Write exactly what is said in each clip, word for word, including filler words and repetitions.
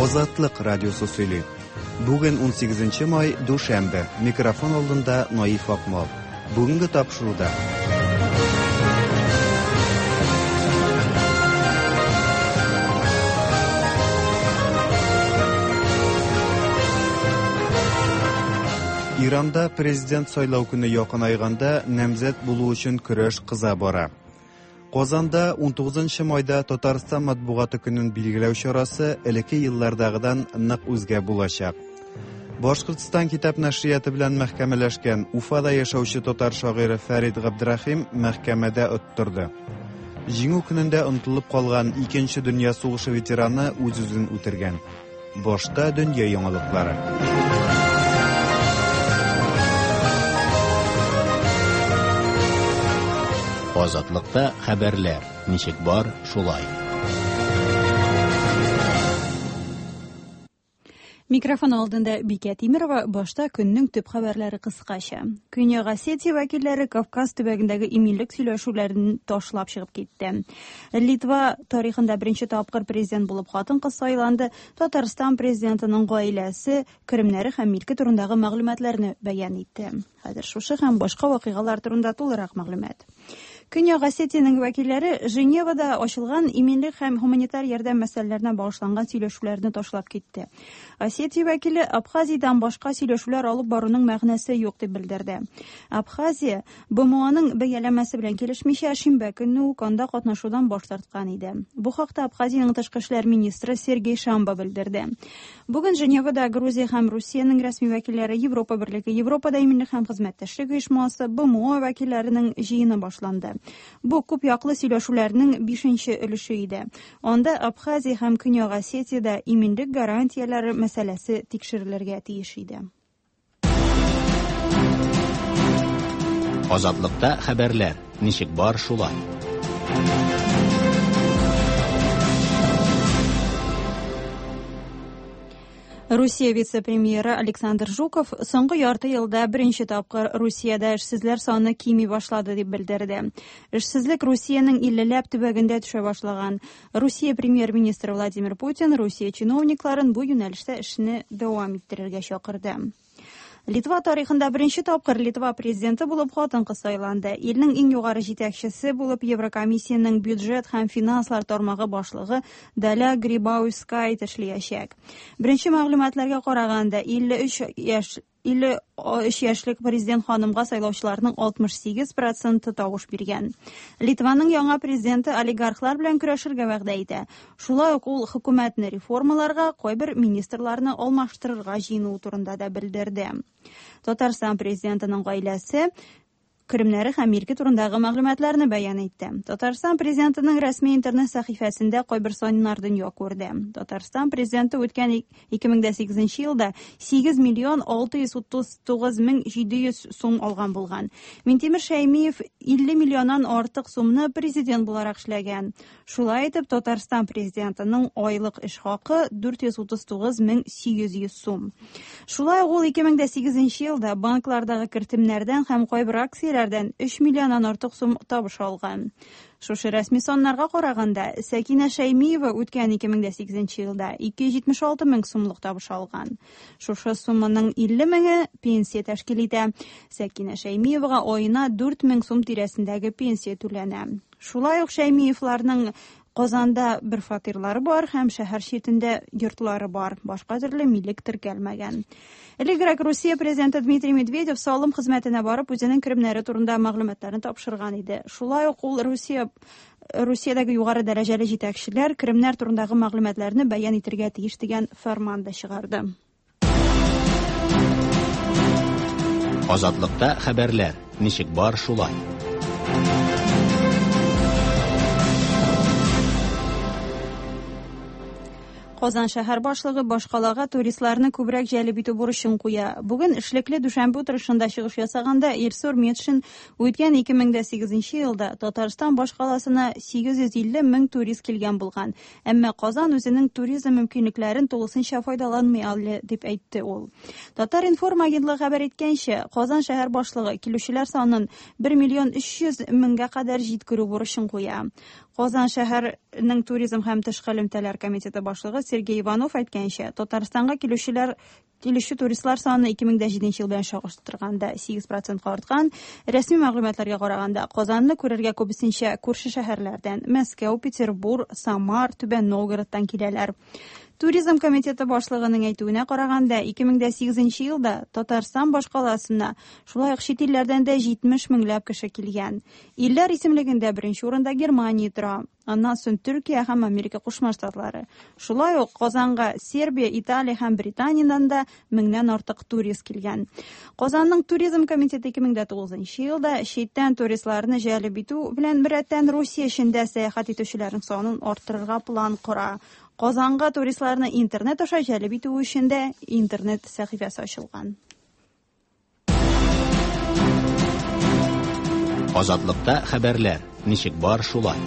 Азатлык радиосы сөйли. Бүген унсигезенче май, дүшәмбе. Микрофон алдында Наиф Акмал. Бүгенге тапшыруда. Иранда президент сайлау көне якынайганда намзәт булу өчен көрәш кыза бара. Казанда унтугызынчы майда Татарстан матбугаты көнен билгеләү чарасы элекке еллардагыдан нык үзгә булачак. Башкортстан китап нәшрияты белән мәхкәмәләшкән Уфада яшәүче татар шагыйре Фәрид Габдрахим мәхкәмәдә оттырды. Җиңү көнендә онытылып калган Икенче дөнья сугышы ветераны үз-үзен үтергән. Башта дөнья яңалыклары. Азатлыкта хәбәрләр ничек бар, шулай. Микрофон алдында Бикә Тимирова, башта көннең төп хәбәрләре кыскача. Көньяк Осетия вәкилләре Кавказ төбәгендәге иминлек сөйләшүләрен ташлап чыгып китте. Литва тарихында беренче тапкыр президент булып хатын-кыз сайланды. Татарстан президентының гаиләсе керемнәре һәм милке турындагы мәгълүматларны бәян итте. Хәзер шушы һәм башка вакыйгалар турында тулырак мәгълүмат. Көньяк Осетиянең вәкилләре Женевада ачылган иминлек һәм гуманитар ярдәм мәсьәләләренә багышланган сөйләшүләрне ташлап китте. Осетия вәкиле Абхазиядән башка сөйләшүләр алып баруның мәгънәсе юк дип белдерде. Абхазия БМОның бәяләмәсе белән килешмичә шимбә көнне үк анда катнашудан баш тарткан иде. Бу хакта Абхазиянең тышкы эшләр министры Сергей Шамба белдерде. Бүген Женевада Грузия һәм Русиянең рәсми вәкилләре, Европа Берлеге, Европада иминлек һәм хезмәттәшлек оешмасы, БМО вәкилләренең җыены башланды. Бу күп яклы сөйләшүләрнең бишенче өлеше иде. Анда Абхазия һәм Көньяк Осетиядә иминлек гарантияләре мәсьәләсе тикшерелергә тиеш иде. Азатлыкта хәбәрләр ничек бар, шулай. Русия вице-премьеры Александр Жуков соңгы ярты елда беренче тапкыр Русиядә эшсезләр саны кими башлады дип белдерде. Эшсезлек Русиянең иллеләп төбәгендә төшә башлаган. Русия премьер-министры Владимир Путин Русия чиновникларын бу юнәлештә эшне дәвам иттерергә чакырды. Литва тарихында беренче тапкыр Литва президенты булып хатын-кыз сайланды. Илнең иң югары җитәкчесе булып Еврокомиссиянең бюджет һәм финанслар тармагы башлыгы Даля Грибаускайте эшләячәк. Беренче мәгълүматларга караганда, илле өч яшь илле өч яшьлек президент ханымга сайлаучыларның алтмыш сигез проценты тавыш биргән. Литваның яңа президенты олигархлар белән көрәшергә вәгъдә итә. Шулай ук ул хөкүмәтне реформаларга, кайбер министрларны алмаштырырга җыенуы турында да белдерде. Татарстан президентының гаиләсе керемнәре һәм милке турындагы мәгълүматларны бәян итте. Татарстан президентының рәсми интернет сәхифәсендә кайбер саннар дөнья күрде. Татарстан президенты үткән ике мең дә сигезенче елда сигез миллион алты йөз утыз тугыз мең җиде йөз сум алган булган. Минтимер Шәймиев илле миллионнан артык сумны президент буларак эшләгән. Шулай итеп, Татарстан президентының айлык эш хакы дүрт йөз утыз тугыз мең сигез йөз сум. Шулай ук ул ике мең дә сигезенче елда банклардагы кертемнәрдән һәм кайбер акцияләрдән өч миллионнан артык сум табыш алган. Шушы рәсми саннарга караганда, Сәкинә Шәймиева үткән ике мең дә сигезенче елда ике йөз җитмеш алты мең сумлык табыш алган. Шушы сумманың илле меңе пенсия тәшкил итә. Сәкинә Шәймиевага аена дүрт мең сум тирәсендәге пенсия түләнә. Шулай ук Шәймиевларның Казанда бер фатирлары бар һәм шәһәр читендә йортлары бар. Башка төрле милек теркәлмәгән. Элегрәк Русия президенты Дмитрий Медведев салым хезмәтенә барып үзенең керемнәре турында мәгълүматларны тапшырган иде. Шулай ук ул Русия Русиядәге югары дәрәҗәле җитәкчеләр керемнәр турындагы мәгълүматларны бәян итергә тиеш дигән фәрман да чыгарды. Азатлыкта хәбәрләр ничек бар, шулай. Казан шәһәр башлыгы башкалага туристларны күбрәк җәлеп итү бурычын куя. Бүген эшлекле дүшәмбе утырышында чыгыш ясаганда Илсур Метшин үткән ике мең дә сигезенче елда Татарстан башкаласына сигез йөз илле мең турист килгән булган. Әмма Казан үзенең туризм мөмкинлекләрен тулысынча файдаланмый әле, дип әйтте ул. Татар-информ агентлыгы хәбәр иткәнчә, Казан шәһәр башлыгы килүчеләр санын бер миллион өч йөз меңгә кадәр җиткерү бурычын куя. Казан шәһәренең туризм һәм тышкы элемтәләр комитеты башлыгы Сергей Иванов әйткәнчә, Татарстанга килүчеләр килүче туристлар саны ике мең дә җиденче ел белән чагыштырганда сигез процентка арткан. Рәсми мәгълүматларга караганда, Казанны күрергә күбесенчә күрше шәһәрләрдән Мәскәү, Петербург, Самар, Түбән Новгородтан киләләр. Туризм комитеты башлыгының әйтүенә караганда, ике мең дә сигезенче елда Татарстан башкаласына шулай ук чит илләрдән дә җитмеш меңләп кеше килгән. Илләр исемлегендә беренче урында Германия тора, аннан соң Төркия һәм Америка Кушма Штатлары. Шулай ук Казанга Сербия, Италия һәм Британиядән дә меңнән артык турист килгән. Казанның туризм комитеты ике мең дә тугызынчы елда читтән туристларны җәлеп итү белән беррәттән Русия эчендә сәяхәт итүчеләрнең санын арттырырга план кора. Казанга туристларны интернет аша җәлеп итү өчен дә интернет сәхифәсе ачылган. Азатлыкта хәбәрләр ничек бар шулай.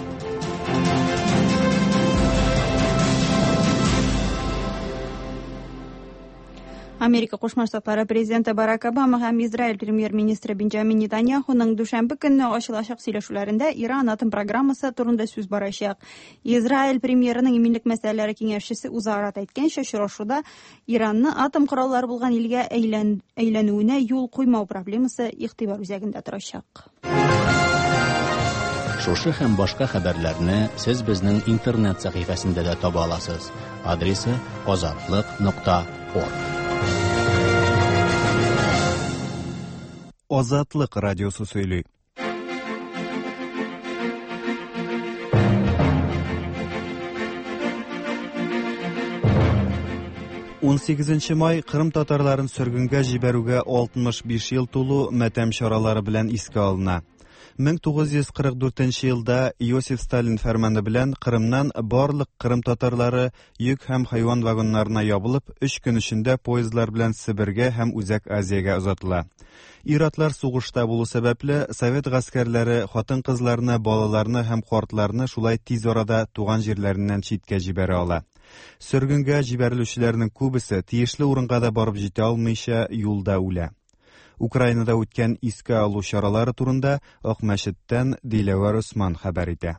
Америка Кушма Штатлары президенты Барак Обама һәм Израиль премьер-министры Бенджамин Нетаньяхуның дүшәмбе көнне ачылачак сөйләшүләрендә Иран атом программасы турында сүз барачак. Израиль премьерының иминлек мәсьәләләре киңәшчесе Узарат әйткәнчә, очрашуда Иранны атом кораллары булган илгә әйлән, әйләнүенә юл куймау проблемасы игътибар үзәгендә торачак. Шушы һәм башка хәбәрләрне сез безнең интернет сәхифәсендә дә таба аласыз. Адресы азатлык нокта орг. Азатлык радиосы сөйли. Ун сигезенче май Кырым татарларын сөргенгә җибәрүгә алтмыш биш ел тулу матәм чаралары белән искә алына. мең тугыз йөз кырык дүртенче елда Иосиф Сталин фәрманы белән Кырымнан барлык Кырым татарлары йөк һәм хайван вагоннарына ябылып, өч көн эчендә поездлар белән Себергә һәм Үзәк Азиягә озатыла. Ир-атлар сугышта булу сәбәпле, совет гаскәрләре хатын-кызларны, балаларны һәм картларны шулай тиз арада туган җирләреннән читкә җибәрә ала. Сөргенгә җибәрелүчеләрнең күбесе тиешле урынга да барып җитә алмыйча юлда үлә. Украинада үткән искә алу чаралары турында Акмәчеттән Диләвәр Усман хәбәр итә.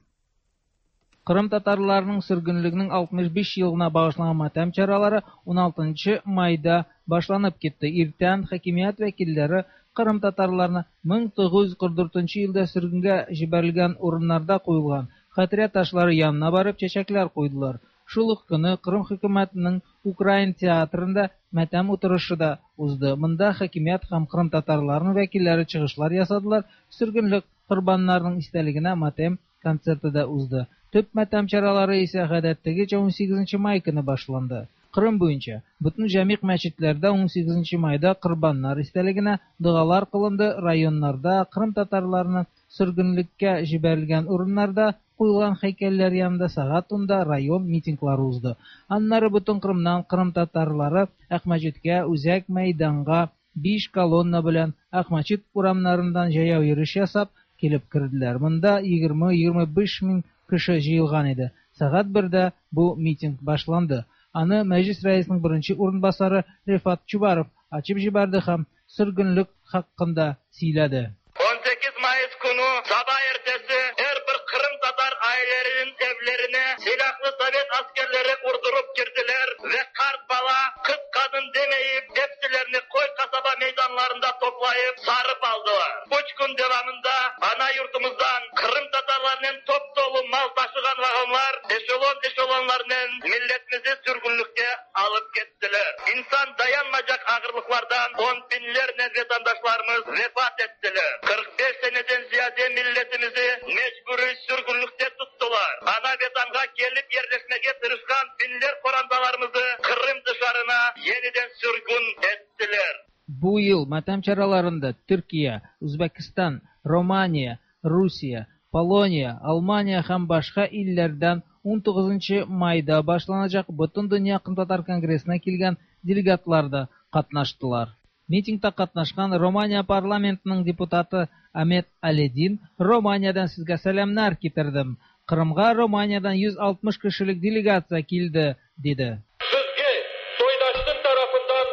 Кырым татарларының сөргенлегенең алтмыш биш елына багышланган матәм чаралары ун алтынчы майда башланып китте. Иртән хакимият вәкилләре Кырым татарларына мең тугыз йөз кырык дүртенче елда сөргенгә җибәрелгән урыннарда куелган хатирә ташлары янына барып чәчәкләр куйдылар. Шул ук көне Кырым хөкүмәтенең Украин театрында матәм утырышы да узды. Монда хакимият һәм Кырым татарларының вәкилләре чыгышлар ясадылар. Сөргенлек корбаннарының истәлегенә матәм концерты да узды. Төп матәм чаралары исә гадәттәгечә ун сигезенче май көне башланды. Кырым буенча бөтен җәмигъ мәчетләрдә ун сигезенче майда корбаннар истәлегенә догалар кылынды. Районнарда Кырым татарларының сөргенлеккә җибәрелгән урыннарда куелган һәйкәлләр янында сәгать унда район митинглары узды. Аннары бөтен Кырымнан Кырым татарлары Акмәчеткә, үзәк мәйданга биш колонна белән Акмәчет урамнарыннан җәяү йөреш ясап килеп керделәр. Монда егерме-егерме биш мең кеше җыелган иде. Сәгать бердә бу митинг башланды. Аны Мәҗлис рәисенең беренче урынбасары Рифат Чубаров ачып җибәрде һәм сөргенлек хакында сөйләде. он sekiz Mayıs günü sabah ertesi her bir Kırım Tatar ailelerinin evlerine silahlı Sovet askerleri vurdurup girdiler ve kart bala, kız kadın demeyip hepsilerini koy kasaba meydanlarında toplayıp sarıp aldılar. Üç gün devamında ana yurtumuzdan Kırım Tatarlarının top dolu mal taşıgan vagonlar eşelon eşelonlarının milletimizi sürgünlükte alıp gittiler. İnsan dayanmayacak ağırlıklardan on binlerle vatandaşlarımız vefat ettiler. kırk beş seneden ziyade milletimizi mecburi sürgünlükte tuttular. Ana vatanga gelip yerleşmeye tırışkan binler korandalarımızı Kırım dışarına yeniden sürgün ettiler. Bu yıl matem çaralarında Türkiye, Uzbekistan, Romanya, Rusya, Poloniya, Almanya һәм башка илләрдән ун тугызынчы майда башланачак Бөтендөнья Кырым татар конгрессына килгән делегатлар да катнаштылар. Митингта катнашкан Романия парламентының депутаты Амет Аледин Романиядан сезгә сәламнәр китердем. Кырымга Романиядан йөз алтмыш кешелек делегация килде, диде. Сезгә soydaşlıq tarafından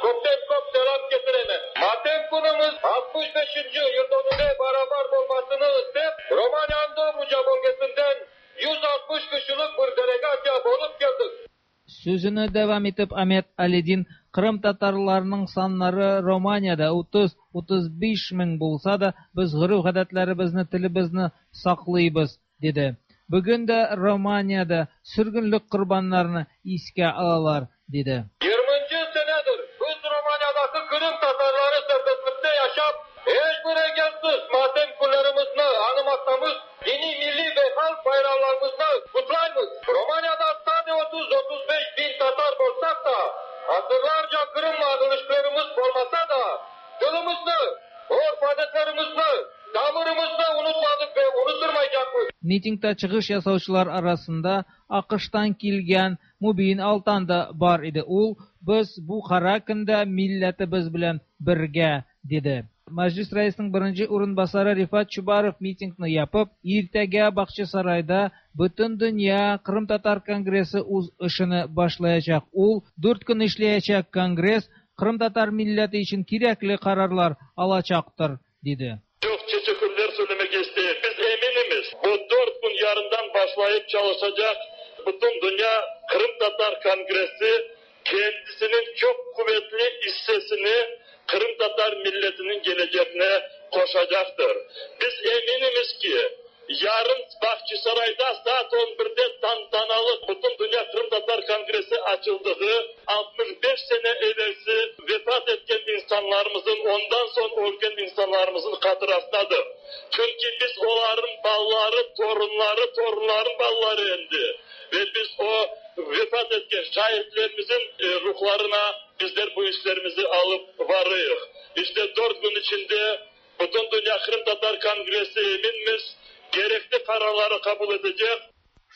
köpten köp selam getiremem. Matem günümüz altmış beşinci yıldönümüne beraber olmasını istep Romanya'nın Dobruca bölgesinden yüz altmış kişilik bir delegasya bolup geldik. Сүзене дәвам итеп Амет Алидин Кырым татарларының саннары Романиядә утыз-утыз биш мең булса да, без гореф-гадәтләребезне, телебезне саклыйбыз, диде. Бүген дә Романиядә сөргенлек корбаннарны искә алалар, диде. Yirminci senedir biz Romanya'daki Kırım Tatarları serbestlikte yaşap, hiçbir engelsiz matem günlerimizni anımaktamız, dini, milli ve halk bayramlarımızı kutlayımız. Romanya'da sadece otuz otuz beş bin Tatar olsak da, asırlarca Kırım'la ilişkilerimiz olmasa da, dilimizni, örf adetlerimizni, tamırımızı unutmadık ve unutturmayacakız. Митингта чыгыш ясаучылар арасында АКШтан килгән Мубин Алтан да бар иде. Ул без бу кара көндә милләтебез белән бергә, диде. Мәҗлис рәисенең беренче урынбасары Рифат Чубаров митингны япып, иртәгә Бакчасарайда Бөтен дөнья Кырым татар конгрессы үз эшен башлаячак. Ул дүрт көн эшләячәк конгресс Кырым татар милләте өчен кирәкле карарлар алачактыр, диде. Çok teşekkürler söylemek istedim. Biz eminimiz bu dört gün yarından başlayıp çalışacak Bütün Dünya Kırım Tatar Kongresi kendisinin çok kuvvetli hissesini Kırım Tatar milletinin geleceğine koşacaktır. Biz eminimiz ki yarın Bahçesaray'da saat on birde tantanalı Bütün Dünya Kırım Tatar Kongresi açıldığı altmış beş sene evvelsi vefat etken insanlarımızın, ondan sonra ölgen insanlarımızın hatırasındadır. Çünkü biz onların balları, torunları, torunların balları endi. Ve biz o vefat etken şahitlerimizin ruhlarına bizler bu işlerimizi alıp varıyoruz. İşte dört gün içinde Bütün Dünya Kırım Tatar Kongresi eminmiz, gerekli kararları kabul edecek.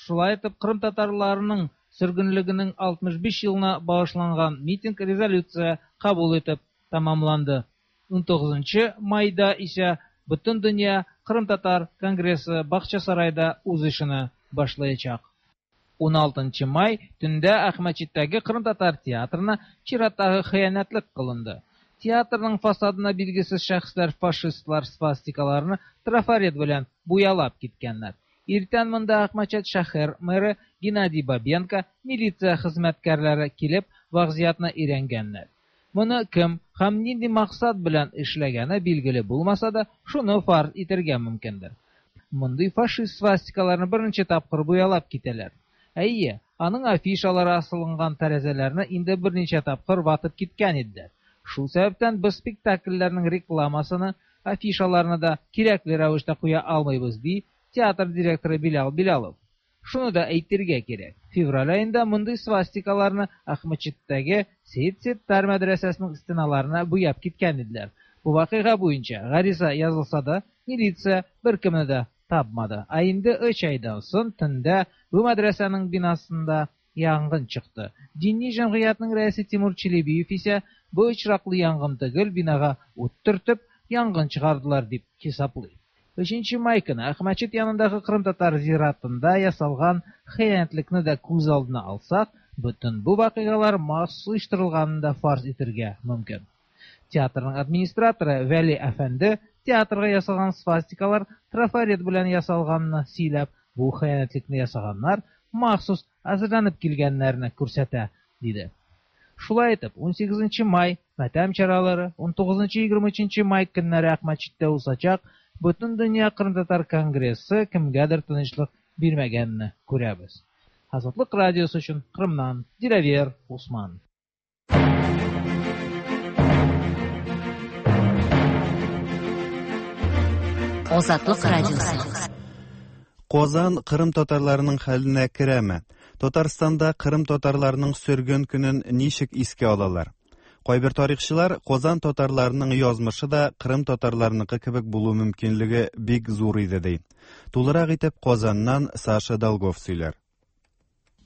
Шулай итеп, Кырым татарларының сөргенлегенең алтмыш биш елына багышланган митинг резолюция кабул итеп тәмамланды. Унтугызынчы майда исә Бөтен дөнья Кырым татар конгрессы Бакчасарайда үз эшен башлаячак. Уналтынчы май төндә Әхмәтчиттәге Кырым татар театрына чираттагы хыянәтлек кылынды. Театрның фасадына билгесез шәхесләр фашистлар свастикаларны трафарет белән буялап киткәннәр. Иртән монда Әхмәтчит шәһәр мэры Геннадий Бабенко, милиция хезмәткәрләре килеп вазгыятьне өйрәнгәннәр. Моны кем һәм нинди максат белән эшләгәне билгеле булмаса да, шуны фарз итәргә мөмкиндер. Мондый фашист свастикаларны берничә тапкыр буялап китәләр. Әйе, аның афишалары асылынган тәрәзәләрне инде берничә тапкыр ватып киткән иделәр. Шул сәбәптән без спектакльләрнең рекламасыны, афишаларны да кирәкле рәвештә куя алмыйбыз, ди театр директоры Билал Билалов. Шуны да әйтергә кирәк. Февраль аенда мондый свастикаларны Әхмәтчиттәге Сәйд Сеттар мәдрәсәсенең стеналарына буяп киткән иделәр. Бу вакыйга буенча гариза язылса да, милиция беркемне дә тапмады. Ә инде өч айдан соң төндә бу мәдрәсәнең бинасында янгын чыкты. Дини җәмгыятьнең рәисе Тимур Челебиев исә бу очраклы янгын түгел, бинага ут төртеп янгын чыгардылар дип хисаплый. Өченче май көне Әхмәтчит янындагы Кырым татар зиратында ясалган хыянәтлекне дә күз алдына алсак, бөтен бу вакыйгалар махсус оештырылганын да фарз итәргә мөмкин. Театрның администраторы Вәли әфәнде театрга ясалган свастикалар трафарет белән ясалганны сөйләп, бу хыянәтлекне ясаганнар махсус әзерләнеп килгәннәрне күрсәтә, диде. Шулай итеп, унсигезенче май матәм чаралары, унтугызынчы егерме өченче май көннәре Әхмәтчиттә узачак Бөтен дөнья Кырым татар конгрессы кемгәдер тынычлык бирмәгәнне күрәбез. Азатлык радиосы өчен Кырымнан Диләвер Усман. Азатлык радиосы. Казан Кырым татарларының хәленә керәме? Татарстанда Кырым татарларының сөргөн көнен ничек искә алалар? Кайбер тарихчылар Казан татарларының язмышы да Кырым татарларыныкы кебек булу мөмкинлеге бик зур иде ди. Тулырак итеп Казаннан Саша Долгов сөйләр.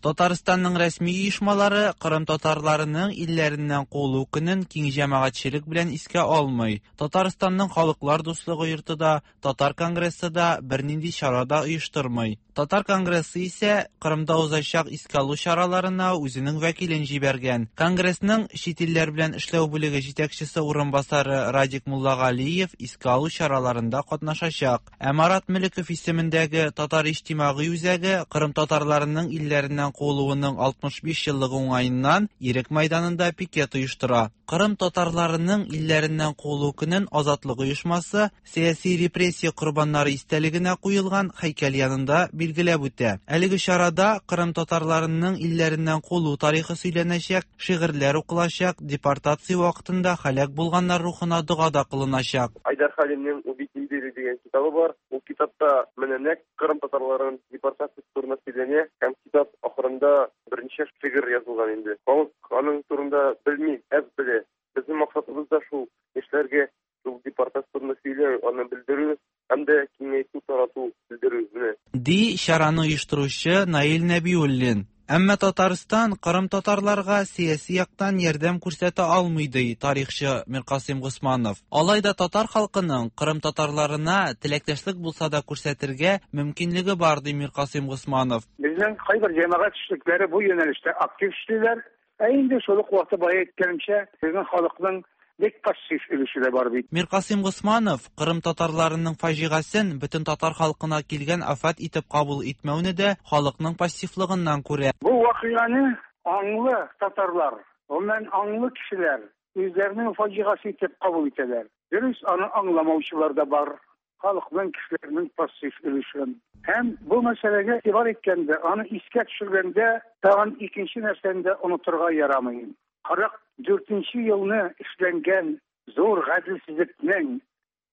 Татарстанның рәсми оешмалары Кырым татарларының илләреннән куылу көнен киң җәмәгатьчелек белән искә алмый. Татарстанның Халыклар дуслыгы йорты да, Татар конгрессы да бернинди чара да оештырмый. Татар конгрессы исә Кырымда узачак искә алу чараларына үзенең вәкилен җибәргән. Конгрессның чит илләр белән эшләү бүлеге җитәкчесе урынбасары Радик Муллагалиев искә алу чараларында катнашачак. Ә Марат Мөлеков исемендәге Татар иҗтимагый үзәге Кырым татарларының илләреннән куылуының алтмыш биш еллыгы уңаеннан Ирек мәйданында пикет оештыра. Кырым татарларының илләреннән куылу көнен Азатлык оешмасы сәяси репрессия корбаннары истәлегенә куелган һәйкәл янында билгеләп үтә. Әлеге чарада Кырым татарларының илләреннән куылу тарихы сөйләнәчәк, шигырьләр укылачак, депортация вакытында һәлак булганнар рухына дога да кылыначак. Айдар Халимнең «Убить империю» дигән китабы бар. Ул китапта менә нәкъ Кырым татарларының депортациясе турында сөйләнә һәм китап ахырында берничә шигырь язылган инде. Халык аның турында белми, әз белә. Безнең максатыбыз да шул яшьләргә шул депортация турында сөйләү, аны белдерү һәм дә киңәйтү, тарату, белдерү менә. Ди чараны оештыручы Наил Нәбиуллин. Әмма Татарстан Кырым татарларга сәяси яктан ярдәм күрсәтә алмый, ди тарихчы Миркасыйм Госманов. Алай да татар халкының Кырым татарларына теләктәшлек булса да күрсәтергә мөмкинлеге бар, ди Миркасыйм Госманов. Безнең кайбер җәмәгать эшлекләре бу юнәлештә актив эшлиләр. Ә инде шул ук вакытта бая әйткәнемчә, безнең халыкның бик пассив өлеше дә бар бит. Миркасыйм Госманов Кырым татарларының фаҗигасын бөтен татар халкына килгән афәт итеп кабул итмәүне дә халыкның пассивлыгыннан күрә. Бу вакыйганы аңлы татарлар, гомумән аңлы кешеләр үзләренең фаҗигасе итеп кабул итәләр. Дөрес, аны аңламаучылар да бар. Халыкның, кешеләрнең пассив өлеше. Һәм бу мәсьәләгә игътибар иткәндә, аны искә төшергәндә тагын икенче нәрсәне дә онытырга ярамый. Кырык дүртенче елны эшләнгән зур гаделсезлекнең,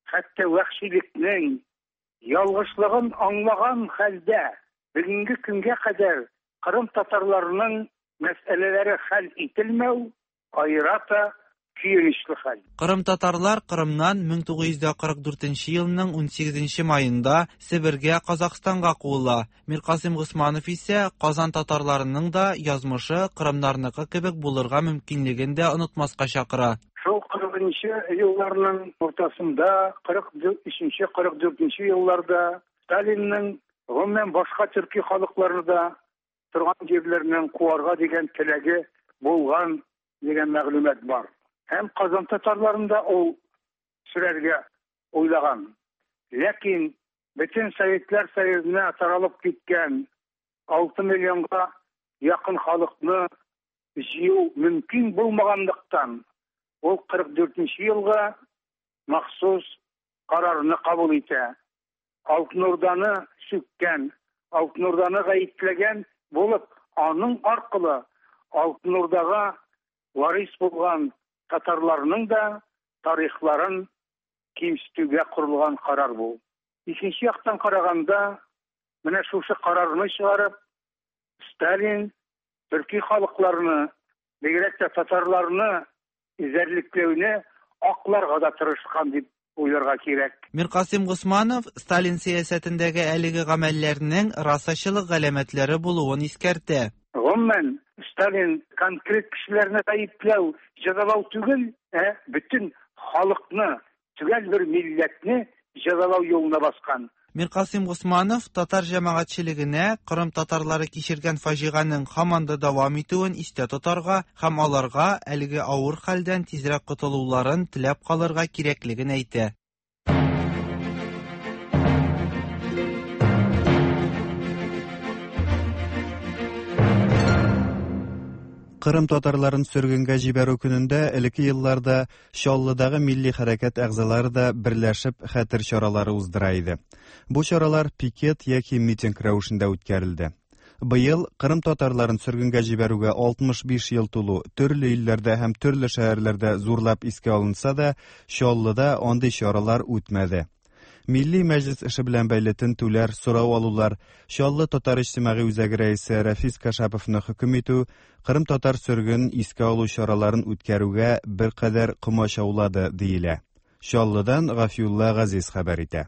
хәтта вәхшилекнең ялгышлыгын аңлаган хәлдә бүгенге көнгә кадәр Кырым татарларының мәсьәләләре хәл ителмәү аерата көенечле хәл. Кырым татарлар Кырымнан мең тугыз йөз дә кырык дүртенче елның унсигезенче маенда Себергә, Казахстанга куыла. Миркасыйм Госманов исә Казан татарларының да язмышы Кырымнарныкы кебек булырга мөмкинлеген дә онытмаска чакыра. Шул кырыгынчы елларның уртасында, кырык өченче, кырык дүртенче елларда Сталинның гомумән башка төрки халыкларны да торган җирләреннән куарга дигән теләге булган дигән мәгълүмат бар. Һәм Казан татарларында ул сөрәргә уйлаган. Ләкин бөтен Советлар Союзына таралып киткән алты миллионга якын халыкны җыю мөмкин булмаганлыктан, ул кырык дүртенче елга махсус карарны кабул итә. Алтын Урданы сүккән, Алтын Урданы гаепләгән булып, аның аркылы Алтын Урдага варис булган татарларның да тарихларын кимсетүгә корылган карар бу. Икенче яктан караганда, менә шушы карарны чыгарып, Сталин төрки халыкларны, бигрәк тә татарларны эзәрлекләүне акларга да тырышкан дип уйларга кирәк. Миркасыйм Госманов Сталин сәясәтендәге әлеге гамәлләрнең расачылык галәмәтләре булуын искәртә. Гомумән, Сталин конкрет кешеләрне гаепләү, җәзалау түгел, ә бөтен халыкны, төгәл бер милләтне җәзалау юлына баскан. Миркасыйм Госманов татар җәмәгатьчелегенә Кырым татарлары кичергән фаҗиганең һаман да дәвам итүен истә тотарга һәм аларга әлеге авыр хәлдән тизрәк котылуларын теләп калырга кирәклеген әйтә. Кырым татарларын сөргенгә җибәрү көнендә элекке елларда Чаллыдагы милли хәрәкәт әгъзалары да берләшеп хәтер чаралары уздыра иде. Бу чаралар пикет яки митинг рәвешендә үткәрелде. Быел Кырым татарларын сөргенгә җибәрүгә алтмыш биш ел тулу төрле илләрдә һәм төрле шәһәрләрдә зурлап искә алынса да, Чаллыда андый чаралар үтмәде. Милли мәҗлис эше белән бәйле тентүләр, сорау алулар, Чаллы татар иҗтимагый үзәге рәисе Рафис Кашаповны хөкем итү, Кырым татар сөрген искә алу чараларын үткәрүгә беркадәр комачаулады диелә. Чаллыдан Гафиулла Газиз хәбәр итә.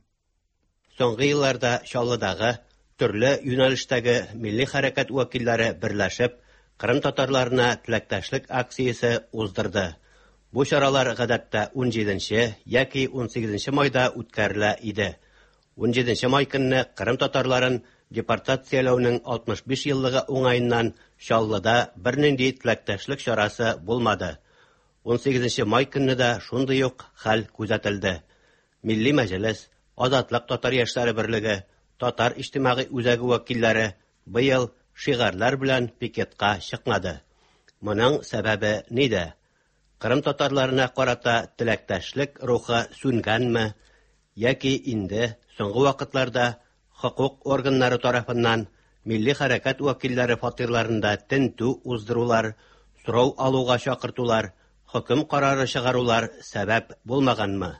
Соңгы елларда Чаллыдагы төрле юнәлештәге милли хәрәкәт вәкилләре берләшеп, Кырым татарларына теләктәшлек акциясе уздырды. Бу чаралар гадәттә ун җиденче яки ун сигезенче майда үткәрелә иде. Ун җиденче май көнне Кырым татарларын депортацияләүнең алтмыш биш еллыгы уңаеннан Чаллыда бернинди теләктәшлек чарасы булмады. ун сигезенче май көнне дә шундый ук хәл күзәтелде. Милли Мәҗлес, Азатлык татар яшьләре берлеге, Татар иҗтимагый үзәге вәкилләре быел шигарьләр белән пикетка чыкмады. Моның сәбәбе нидә? Кырым татарларына карата теләктәшлек рухы сүнгәнме яки инде соңгы вакытларда хукук органнары тарафыннан милли хәрәкәт вәкилләре фатирларында тентү уздырулар, сорау алуга чакыртулар, хөкем карары чыгарулар сәбәп булмаганмы?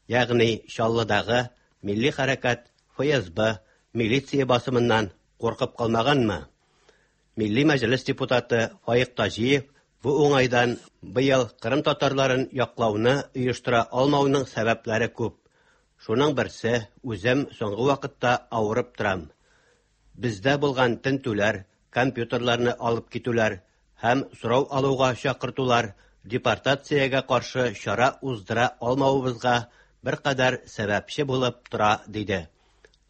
Ягъни Чаллыдагы милли хәрәкәт Эф Эс Бэ милиция басымыннан куркып калмаганмы? Милли Мәҗлес депутаты Фаик Таҗиев бу уңайдан быел Кырым татарларын яклауны оештыра алмауның сәбәпләре күп. Шуның берсе, үзем соңгы вакытта авырып торам. Бездә булган тентүләр, компьютерларны алып китүләр һәм сорау алуга чакыртулар депортациягә каршы чара уздыра алмавыбызга беркадәр сәбәпче булып тора, диде.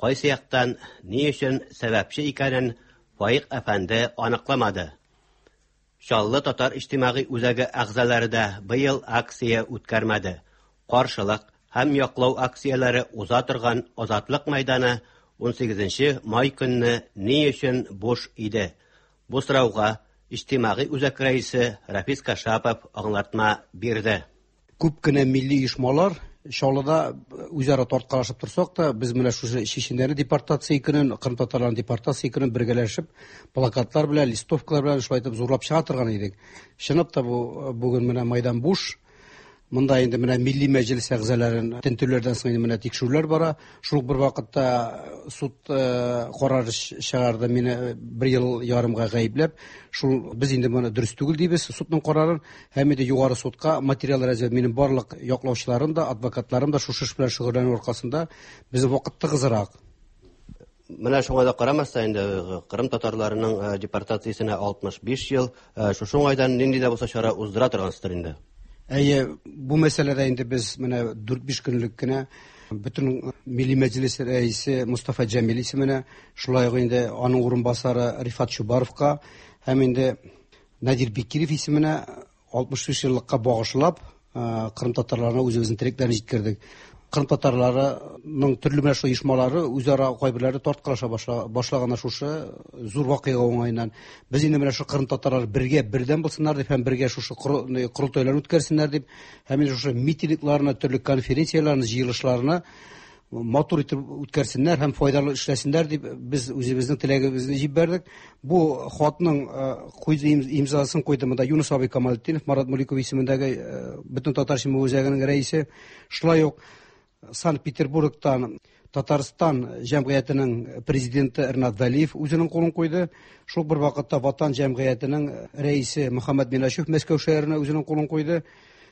Кайсы яктан ни өчен сәбәпче икәнен Фаик әфәнде аныкламады. Чаллы татар иҗтимагый үзәге әгъзалары да быел акция үткәрмәде. Каршылык һәм яклау акцияләре уза торган Азатлык мәйданы ун сигезенче май көнне ни өчен буш иде? Бу сорауга иҗтимагый үзәк рәисе Рафис Кашапов аңлатма бирде. Күп кенә милли оешмалар Чаллыда үзара тарткалашып торсак та, без менә шушы чеченнәрне депортация көнен, Кырым татарларын депортация көнен бергәләшеп, плакатлар белән, листовкалар белән шулай итеп зурлап чыга торган идек. Чынлап та бу бүген менә майдан буш. Монда инде менә Милли Мәҗлес әгъзаларын тентүләрдән соң инде менә тикшерүләр бара. Шул бер вакытта суд карары чыгарды мине бер ел ярымга гаепләп. Шул без инде моны дөрес түгел дибез судның карарын, һәм инде югары судка материаллар әзерләп, минем барлык яклаучыларым да, адвокатларым да шушы эш белән шөгыльләнү аркасында безнең вакыт тыгызрак. Менә шуңа да карамастан инде Кырым татарларының депортациясенә алтмыш биш ел, шушы уңайдан нинди дә булса чара уздыра торгансыздыр инде. Әйе, бу мәсьәләдә инде без менә дүрт-биш көнлек кенә бөтен Милли Мәҗлес рәисе Мустафа Җәмил исеменә, шулай ук инде аның урынбасары Рифат Чубаровка һәм инде Надир Бекиров исеменә алтмыш биш еллыкка багышлап, Кырым татарларына үзебезнең теләкләрне җиткердек. Кырым татарларының төрле менә шул оешмалары үзара кайберләре тарткалаша башлаган шушы зур вакыйга уңаеннан. Без инде менә шул Кырым татарлары бергә бердәм булсыннар дип һәм бергә шушы корылтайларны үткәрсеннәр дип, һәм инде шушы митингларны, төрле конференцияләрне, җыелышларны матур итеп үткәрсеннәр һәм файдалы эшләсеннәр дип без үзебезнең теләгебезне җибәрдек. Бу хатның куйды имзасын куйды монда Юнус абый Камалетдинов, Марат Муликов исемендәге бөтен татар җәмәгать үзәгенең рәисе, шулай ук Санкт-Петербургтан Татарстан җәмгыятенең президенты Ринат Вәлиев үзенең кулын куйды. Шул бер вакытта Ватан җәмгыятенең рәисе Мөхәммәд Минашев Мәскәү шәһәренә үзенең кулын куйды.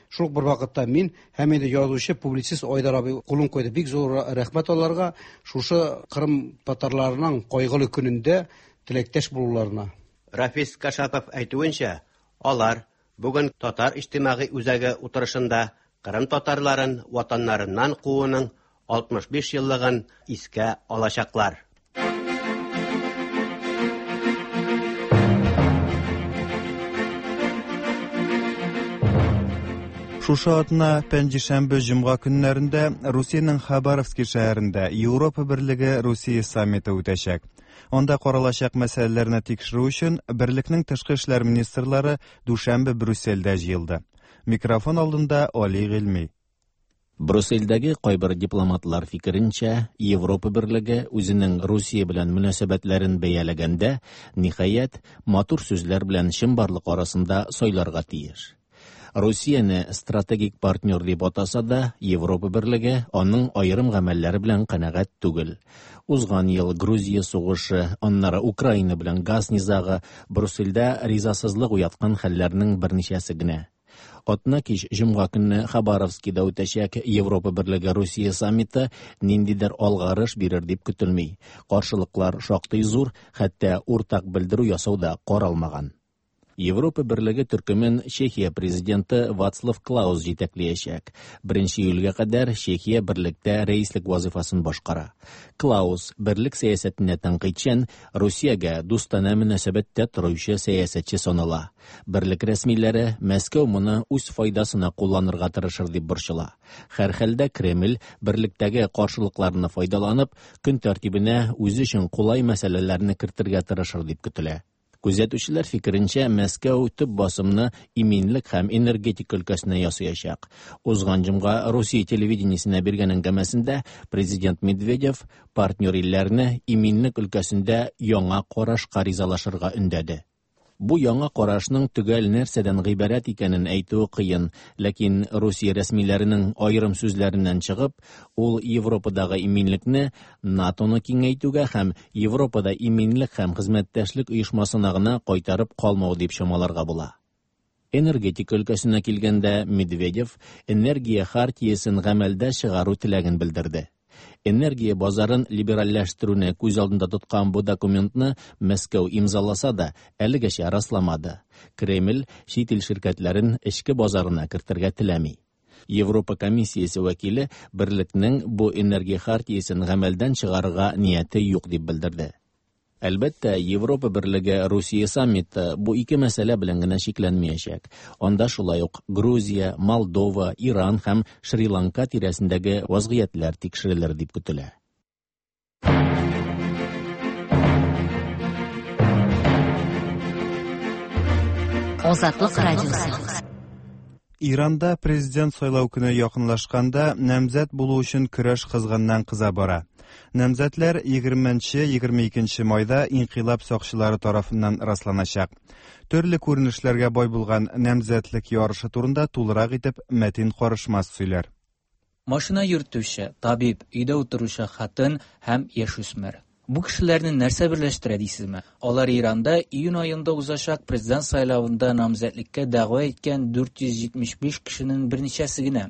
Шул бер вакытта мин һәм инде язучы, публицист Айдар абый кулын куйды. Бик зур рәхмәт аларга шушы Кырым татарларының кайгылы көнендә теләктәш булуларына. Рафис Кашапов әйтүенчә, алар бүген Татар иҗтимагый үзәге утырышында Кырым татарларын ватаннарыннан кууның алтмыш биш еллыгын искә алачаклар. Шушы атна пәнҗешәмбе җомга көннәрендә Русиянең Хабаровский шәһәрендә Европа Берлеге Русия саммиты үтәчәк. Анда каралачак мәсьәләләрне тикшерү өчен берлекнең тышкы эшләр министрлары дүшәмбе Брюссельдә җыелды. Микрофон алдында Али Гыйльми. Брюссельдәге кайбер дипломатлар фикеренчә, Европа Берлеге үзенең Русия белән мөнәсәбәтләрен бәяләгәндә, ниһаять, матур сүзләр белән чынбарлык арасында сайларга тиеш. Русияне стратегик партнер дип атаса да, Европа Берлеге аның аерым гамәлләре белән канәгать түгел. Узган ел Грузия сугышы, аннары Украина белән газ низагы Брюссельдә ризасызлык уяткан хәлләрнең берничәсе генә. Атна кич җомга көнне Хабаровскида үтәчәк Европа Берлеге Русия саммиты ниндидер алгарыш бирер дип көтелми. Каршылыклар шактый зур, хәтта уртак белдерү ясау да каралмаган. Европа берлеге төркемен Чехия президенты Вацлав Клаус җитәкләячәк. Беренче июльгә кадәр Чехия берлектә рәислек вазифасын башкара. Клаус берлек сәясәтенә тәнкыйтьчән, Русиягә дустанә мөнәсәбәттә торучы сәясәтче санала. Берлек рәсмиләре Мәскәү моны үз файдасына кулланырга тырышыр дип борчыла. Һәрхәлдә Кремль берлектәге каршылыкларны файдаланып, көн тәртибенә үзе өчен кулай мәсьәләләрне кертергә тырышыр дип көтелә. Күзәтүчеләр фикеренчә, Мәскәү төп басымны иминлек һәм энергетика өлкәсенә ясаячак. Узган җомга Русия телевидениесенә биргән әңгәмәсендә президент Медведев партнер илләрне иминлек өлкәсендә яңа карашка ризалашырга өндәде. Бу яңа карашның төгәл нәрсәдән гыйбарәт икәнен әйтүе кыен, ләкин Русия рәсмиләренең аерым сүзләреннән чыгып, ул Европадагы иминлекне НАТОны киңәйтүгә һәм Европада иминлек һәм хезмәттәшлек оешмасына гына кайтарып калмау дип чамаларга була. Энергетика өлкәсенә килгәндә, Медведев энергия хартиясен гамәлдә чыгару теләген белдерде. Энергия базарын либеральләштерүне күз алдында тоткан бу документны Мәскәү имзаласа да, әлегәчә расламады. Кремль чит ил ширкәтләрен эчке базарына кертергә теләми. Европа комиссиясе вәкиле берлекнең бу энергия хартиясен гамәлдән чыгарырга нияте юк дип белдерде. Әлбәттә, Европа берлеге Русия саммиты бу ике мәсьәлә белән генә чикләнмәячәк. Анда шулай ук Грузия, Молдова, Иран һәм Шри-Ланка тирәсендәге вазгыятьләр тикшерелер дип көтелә. Азатлык радиосы. Иранда президент сайлау көне якынлашканда намзәт булу өчен көрәш кызганнан кыза бара. Намзәтләр егерменче егерме икенче майда инкыйлаб сакчылары тарафыннан расланачак. Төрле күренешләргә бай булган намзәтлек ярышы турында тулырак итеп Мәтин Карышмас сөйләр. Машина йөртүче, табиб, өйдә утыручы хатын һәм яшүсмер. Бу кешеләрне нәрсә берләштерә дисезме? Алар Иранда июнь аенда узачак президент сайлавында намзәтлеккә дәгъва иткән дүрт йөз җитмеш биш кешенең берничәсе генә.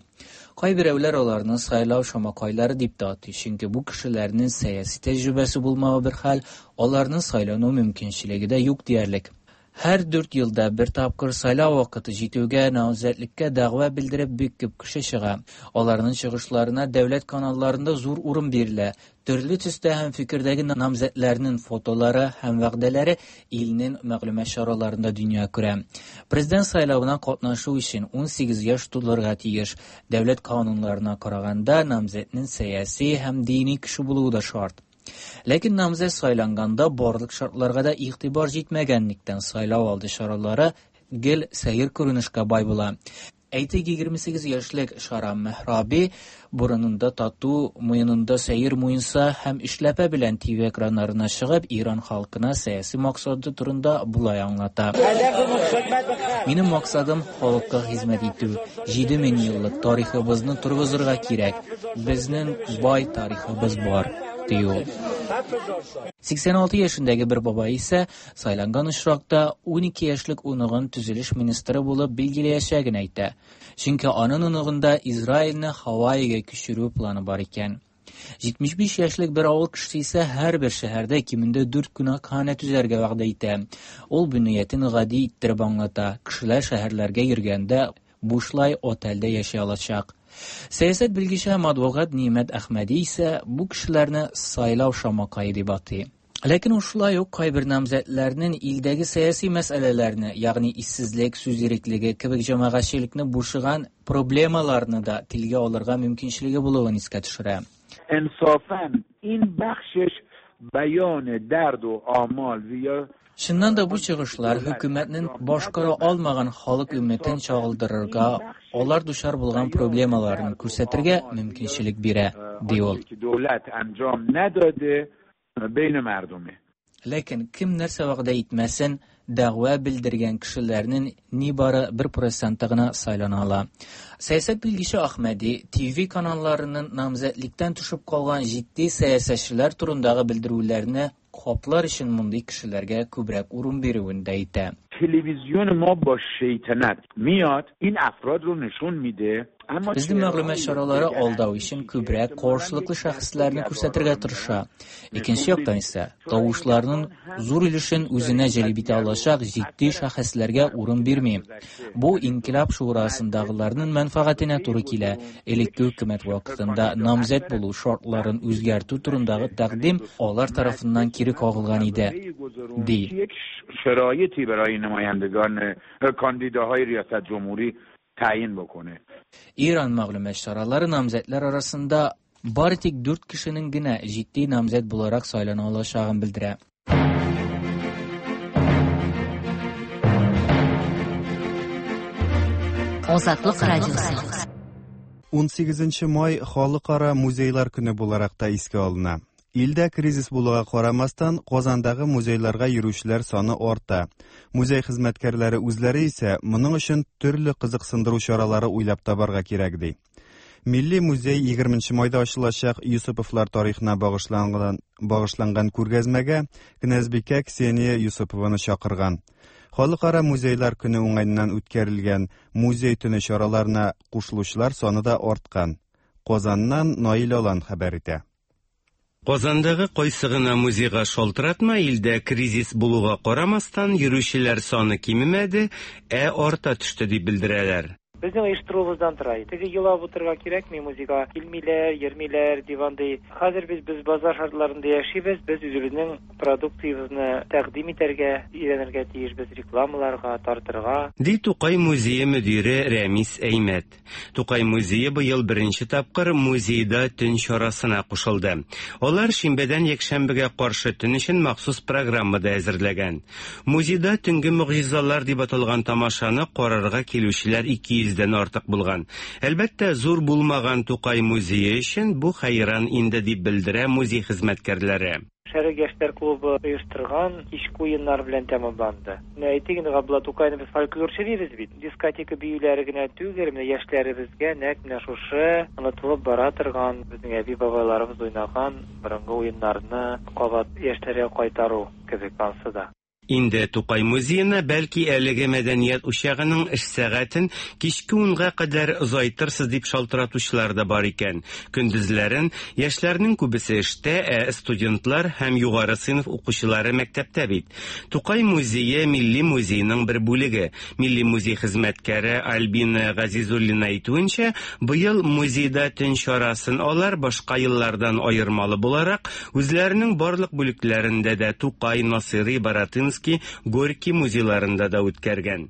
Кайберәүләр аларны сайлау шамакайлары дип тә атый, чөнки бу кешеләрнең сәяси тәҗрибәсе булмавы бер хәл, аларның сайлану мөмкинчелеге дә юк диярлек. Һәр дүрт елда бер тапкыр сайлау вакыты җитүгә намзәтлеккә дәгъва белдереп бик күп кеше чыга. Аларның чыгышларына дәүләт каналларында зур урын бирелә. Төрле төстә һәм фикердәге намзәтләрнең фотолары һәм вәгъдәләре илнең мәгълүмат чараларында дөнья күрә. Президент сайлавына катнашу өчен ун сигез яшь тулырга тиеш. Дәүләт кануннарына караганда намзәтнең сәяси һәм дини кеше булуы да шарт. Ләкин намзәт сайланганда барлык шартларга да игътибар җитмәгәнлектән сайлау алды чаралары гел сәер күренешкә бай була. Әйтик, егерме сигез яшьлек Шарам Мехраби борынында тату, муенында сәер муенса һәм эшләпә белән Т В экраннарына чыгып, Иран халкына сәяси максаты турында болай аңлата. Минем максатым халыкка хезмәт итү. Җиде мең еллык тарихыбызны торгызырга кирәк. Безнең бай тарихыбыз бар, ди ул. Сиксән алты яшендәге бер бабай исә сайланган очракта ун ике яшьлек оныгын төзелеш министры булып билгеләячәген әйтә. Чөнки аның оныгында Израильне Һавайига күчерү планы бар икән. Җитмеш биш яшьлек бер авыл кешесе исә һәрбер шәһәрдә кимендә дүрт кунакханә төзәргә вәгъдә итә. Ул бу ниятен гади иттереп аңлата. Кешеләр шәһәрләргә йөргәндә бушлай отельдә яши алачак. Сәясәт белгече һәм адвокат Нимәт Әхмәди исә бу кешеләрне сайлау шамакае дип атый. Ләкин ул шулай ук кайбер намзәтләрнең илдәге сәяси мәсьәләләрне, ягъни иссезлек, сүз иреклеге кебек җәмәгатьчелекне борчыган проблемаларны да телгә алырга мөмкинчелеге булуын искә төшерә. Инсафан ин бахшиш баён дард ва амал я Чыннан да бу чыгышлар хөкүмәтнең башкара алмаган халык өммәтен чагылдырырга, алар дучар булган проблемаларын күрсәтергә мөмкинчелек бирә, ди ул. Ләкин кем нәрсә вәгъдә итмәсен, дәгъва белдергән кешеләрнең нибары бер проценты гына сайлана ала. Сәясәт белгече Әхмәди Т В каналларының намзәтлектән төшеп калган җитди сәясәтчеләр турындагы белдерүләрне каплар өчен мондый кешеләргә күбрәк урын бирүен дә әйтә. Телевизион ма бо шайтанат миад ин афрод ро нишон миде Безнең мәгълүмат чаралары алдау өчен күбрәк каршылыклы шәхесләрне күрсәтергә тырыша. Икенче яктан исә, тавышларның зур өлешен үзенә җәлеп итә алачак җитди шәхесләргә урын бирми. Бу Инкыйлаб шурасындагыларның мәнфәгатенә туры килә. Элекке хөкүмәт вакытында намзәт булу шартларын үзгәртү турындагы тәкъдим алар тарафыннан кире кагылган иде, ди. شرایطی برای نمایندگان کاندیداهای ریاست جمهوری تعیین بکنه. Иран мәгълүмат чаралары намзәтләр арасында бары тик дүрт кешенең генә җитди намзәт буларак сайлана алачагын белдерә. Азатлык радиосы. Унсигезенче май халыкара музейлар көне буларак та искә алына. Илдә кризис булуга карамастан, Казандагы музейларга йөрүчеләр саны арта. Музей хезмәткәрләре үзләре исә моның өчен төрле кызыксындыру чаралары уйлап табарга кирәк ди. Милли музей егерменче майда ачылачак Юсуповлар тарихына багышланган, багышланган күргәзмәгә князьбикә Ксения Юсупованы чакырган. Халыкара музейлар көне уңаеннан үткәрелгән музей төне чараларына кушылучылар саны да арткан. Казаннан Наил Алан хәбәр итә. Казандагы кайсы гына музейга шалтыратма, илдә кризис булуга карамастан, йөрүчеләр саны кимемәде, ә арта төште дип белдерәләр. Безнең оештыруыбыздан тора. Теге елап утырырга кирәкми, музейга килмиләр, йөрмиләр дип андый. Хәзер без без базар шартларында яшибез, без үзебезнең продукциябезне тәкъдим итәргә, өйрәнергә тиешбез, рекламаларга, тартырга. Ди Тукай музее мөдире Рәмис Әймәт. Тукай музее быел беренче тапкыр музейда төн чарасына кушылды. Алар шимбәдән якшәмбегә каршы төн өчен махсус программа да әзерләгән. Музейда төнге могҗизалар дип аталган тамашаны карарга килүчеләр ике йөздән артык булган. Әлбәттә, зур булмаган Тукай музее өчен бу хәйран инде дип белдерә музей хезмәткәрләре. Шәрык яшьләр клубы оештырган кичке уеннар белән тәмамланды. Менә әйтик инде, Габдулла Тукайны без фольклорчы дибез бит. Дискотека биюләре генә түгел, менә яшьләребезгә нәкъ менә шушы онытылып бара торган безнең әби-бабайларыбыз уйнаган борынгы уеннарны кабат яшьләргә кайтару кебек ансы да. Инде Тукай музеена бәлки әлеге мәдәният учагының эш сәгатен кичке унга кадәр озайтырсыз дип шалтыратучылар да бар икән. Көндезләрен яшьләрнең күбесе эштә, ә студентлар һәм югары сыйныф укучылары мәктәптә бит. Тукай музее Милли музейның бер бүлеге. Милли музей хезмәткәре Альбина Газизуллина әйтүенчә, быел музейда төн чарасын алар башка еллардан аермалы буларак, үзләренең барлык бүлекләрендә дә Тукай, Насыйри, Баратынский, Горький музейларында да үткәргән.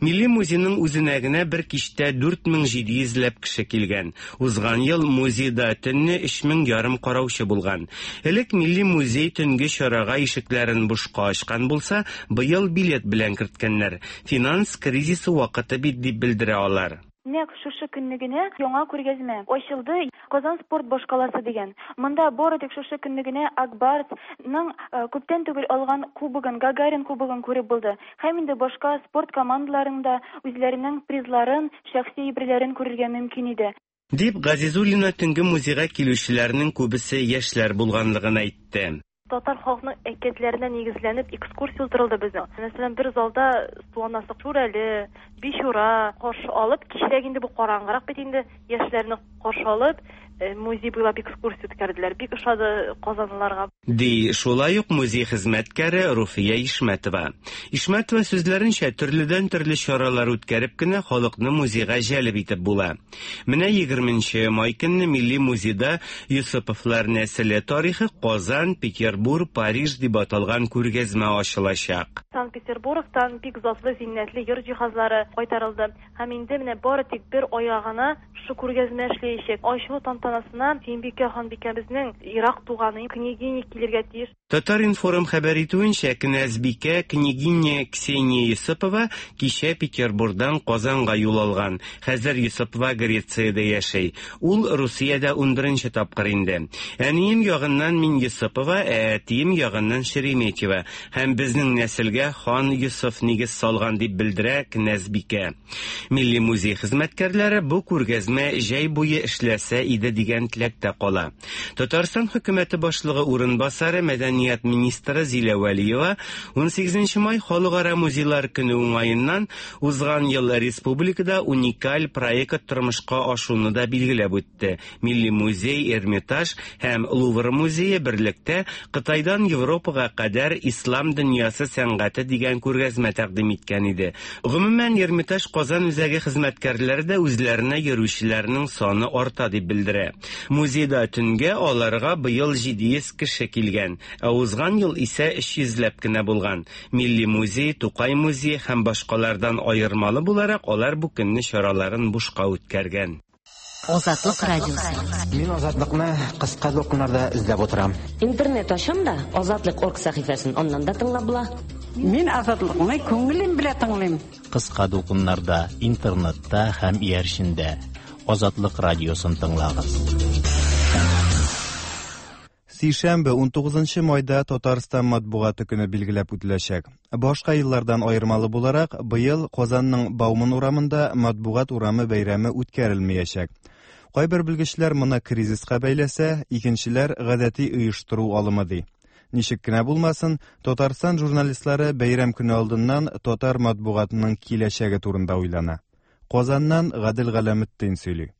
Милли музейның үзенә генә бер кичтә дүрт мең җиде йөзләп кеше килгән. Узган ел музейда төнне өч мең ярым караучы булган. Элек Милли музей төнге чарага ишекләрен бушка ачкан булса, быел билет белән керткәннәр. Финанс кризисы вакыты бит дип белдерә алар. Нәкъ шушы көнне генә яңа күргәзмә ачылды Казан спорт башкаласы дигән. Монда бары тик шушы көнне генә Акбарсның күптән түгел алган кубогын, Гагарин кубогын күреп булды. Һәм инде башка спорт командаларында үзләренең призларын, шәхси әйберләрен күрергә мөмкин иде. Дип Газизуллина төнге музейга килүчеләрнең күбесе яшьләр булганлыгын әйтте. Татар халкының әкиятләренә нигезләнеп экскурсия уздырылды безнең. Мәсәлән, бер залда Суанасы Шүрәле, Бичура каршы алып, кичрәк инде бу караңгырак бит инде, яшьләрне каршы алып, музей буйлап экскурсия үткәрделәр. Бик ошады казанлыларга. Ди шулай ук музей хезмәткәре Руфия Ишмәтова. Ишмәтова сүзләренчә, төрледән төрле чаралар үткәреп кенә халыкны музейга җәлеп итеп була. Менә егерменче май көнне Милли музейда Юсуповлар нәселе тарихы Казан, Петербург, Париж дип аталган күргәзмә ачылачак. Санкт-Петербургтан бик затлы, зиннәтле йорт җиһазлары кайтарылды. Һәм инде менә бары тик бер айга гына шушы күргәзмә эшләячәк. Ачылу тантанасына Сөембикә ханбикәбезнең ерак туганы княгиня килергә тиеш. Татар-информ хәбәр итүенчә, князьбикә княгиня Ксения Юсупова кичә Петербургдан Казанга юл алган. Хәзер Юсупова Грециядә яшәй. Ул Русиядә унберенче тапкыр инде. Әнием ягыннан мин Юсупова, ә әтием ягыннан Шереметьева. Һәм безнең нәселгә хан Юсуф нигез салган дип белдерә князьбикә. Милли музей хезмәткәрләре бу күргәзмә җәй буе эшләсә иде дигән теләктә кала. Татарстан хөкүмәте башлыгы урынбасары мәдәният мәдәният министры Зилә Вәлиева унсигезенче май Халыкара музейлар көне уңаеннан узган ел республикада уникаль проект тормышка ашуны да билгеләп үтте. Милли музей, Эрмитаж һәм Лувр музее берлектә Кытайдан Европага кадәр ислам дөньясы сәнгате дигән күргәзмә тәкъдим иткән иде. Гомумән, Эрмитаж Казан үзәге хезмәткәрләре дә үзләренә йөрүчеләрнең саны арта дип белдерә. Музейда төнгә аларга быел җиде йөз кеше килгән, ә узган ел исә өч йөзләп кенә булган. Милли музей, Тукай музее һәм башкалардан аермалы буларак алар бу көнне чараларын бушка үткәргән. Азатлык радиосы. Мин Азатлыкны кыска дулкыннарда эзләп утырам. Интернет ачам да Азатлык орг сәхифәсен аннан да тыңлап була. Мин Азатлыкны күңелем белән тыңлыйм. Кыска дулкыннарда, интернетта һәм иярчендә Азатлык радиосын тыңлагыз. Сишәмбе унтугызынчы майда Татарстан матбугаты көне билгеләп үтеләчәк. Башка еллардан аермалы буларак, быел Казанның Бауман урамында матбугат урамы бәйрәме үткәрелмәячәк. Кайбер белгечләр моны кризиска бәйләсә, икенчеләр гадәти оештыру алымы ди. Ничек кенә булмасын, Татарстан журналистлары бәйрәм көне алдыннан татар матбугатының киләчәге турында уйлана. Казаннан Гадел Галәметдин сөйли.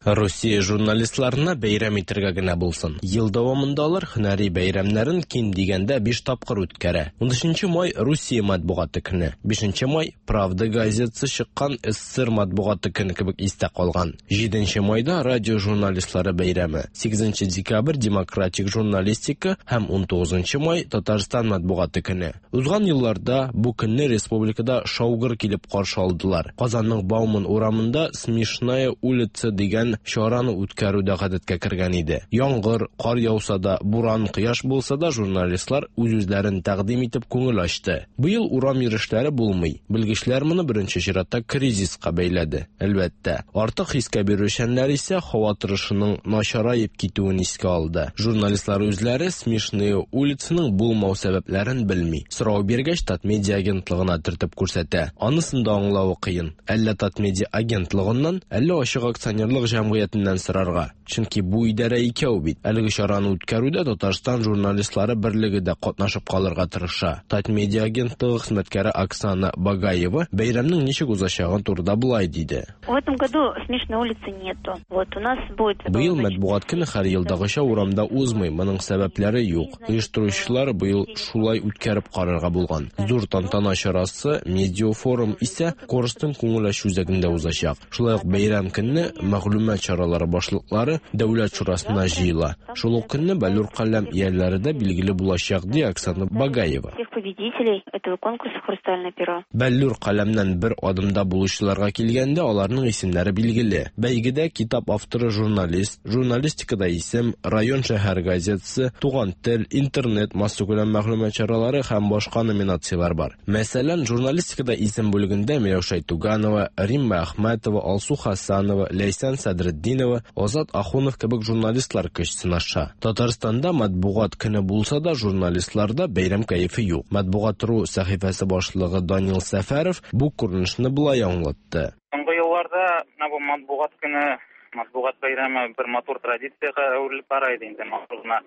Россия журналистларына бәйрәм итәргә генә булсын. Ел дәвамында алар һөнәри бәйрәмнәрен ким дигәндә биш тапкыр үткәрә. Унөченче май Русия матбугаты көне, бишенче май Правда газетасы чыккан СССР матбугаты көне кебек истә калган. Җиденче майда радио журналистлары бәйрәме, сигезенче декабрь демократик журналистика һәм унтугызынчы май Татарстан матбугаты көне. Узган елларда бу көнне республикада шаугыр килеп каршы алдылар. Казанның Бауман урамында Смешная улица дигән чараны үткәрү дә гадәткә кергән иде. Яңгыр, кар яуса да, буран, кояш булса да журналистлар үз-үзләрен тәкъдим итеп күңел ачты. Быел урам йөрешләре булмый. Белгечләр моны беренче чиратта кризиска бәйләде. Әлбәттә, артык хискә бирүчәннәр исә һава торышының начараеп китүен искә алды. Журналистлар үзләре Смешные улицаның булмау сәбәпләрен белми. Сорау биргәч, Татмедиа агентлыгына төртеп күрсәтә. Анысын да аңлавы кыен. Әллә Татмедиа агентлыгыннан, әллә ачык акционерлык җәмгыятеннән сорарга. Чөнки бу идарә икәү бит. Әлеге чараны үткәрүдә Татарстан журналистлары берлеге дә катнашып калырга тырыша. Татмедиа агентлыгы хезмәткәре Оксана Багаева бәйрәмнең ничек узачагын турында болай диде. В этом году Смешной улицы нету. Вот у нас будет. Быел матбугат көне һәр елдагыча урамда узмый. Моның сәбәпләре юк. Оештыручылар быел шулай үткәреп карарга булган. Зур тантана чарасы медиафорум исә Корстон күңел ачу үзәгендә узачак. Шулай ук бәйрәм көнне мәгълүмат чаралары башлыклары Дәүләт шурасына җыела. Шул ук көнне Бәллүр каләм ияләре дә билгеле булачак, ди Оксана Багаева. Всех победителей этого конкурса «Хрустальное перо». Бәллүр каләмнән бер адымда булучыларга килгәндә аларның исемнәре билгеле. Бәйгедә китап авторы журналист, журналистикада исем, район шәһәр газетасы, туган тел, интернет, массакүләм мәгълүмат чаралары һәм башка номинацияләр бар. Мәсәлән, журналистикада исем бүлегендә Миләүшә Туганова, Римма Әхмәтова, Алсу Хасанова, Ләйсән Садретдинова, Азат Ахунов кебек журналистлар көч сынаша. Татарстанда матбугат көне булса да, журналистларда бәйрәм кәефе юк. Матбугат.ру сәхифәсе башлыгы Данил Сәфәров бу күренешне болай аңлатты. Соңгы елларда бу матбугат көне, матбугат бәйрәме бер матур традициягә әверелеп бара иде инде. Матур гына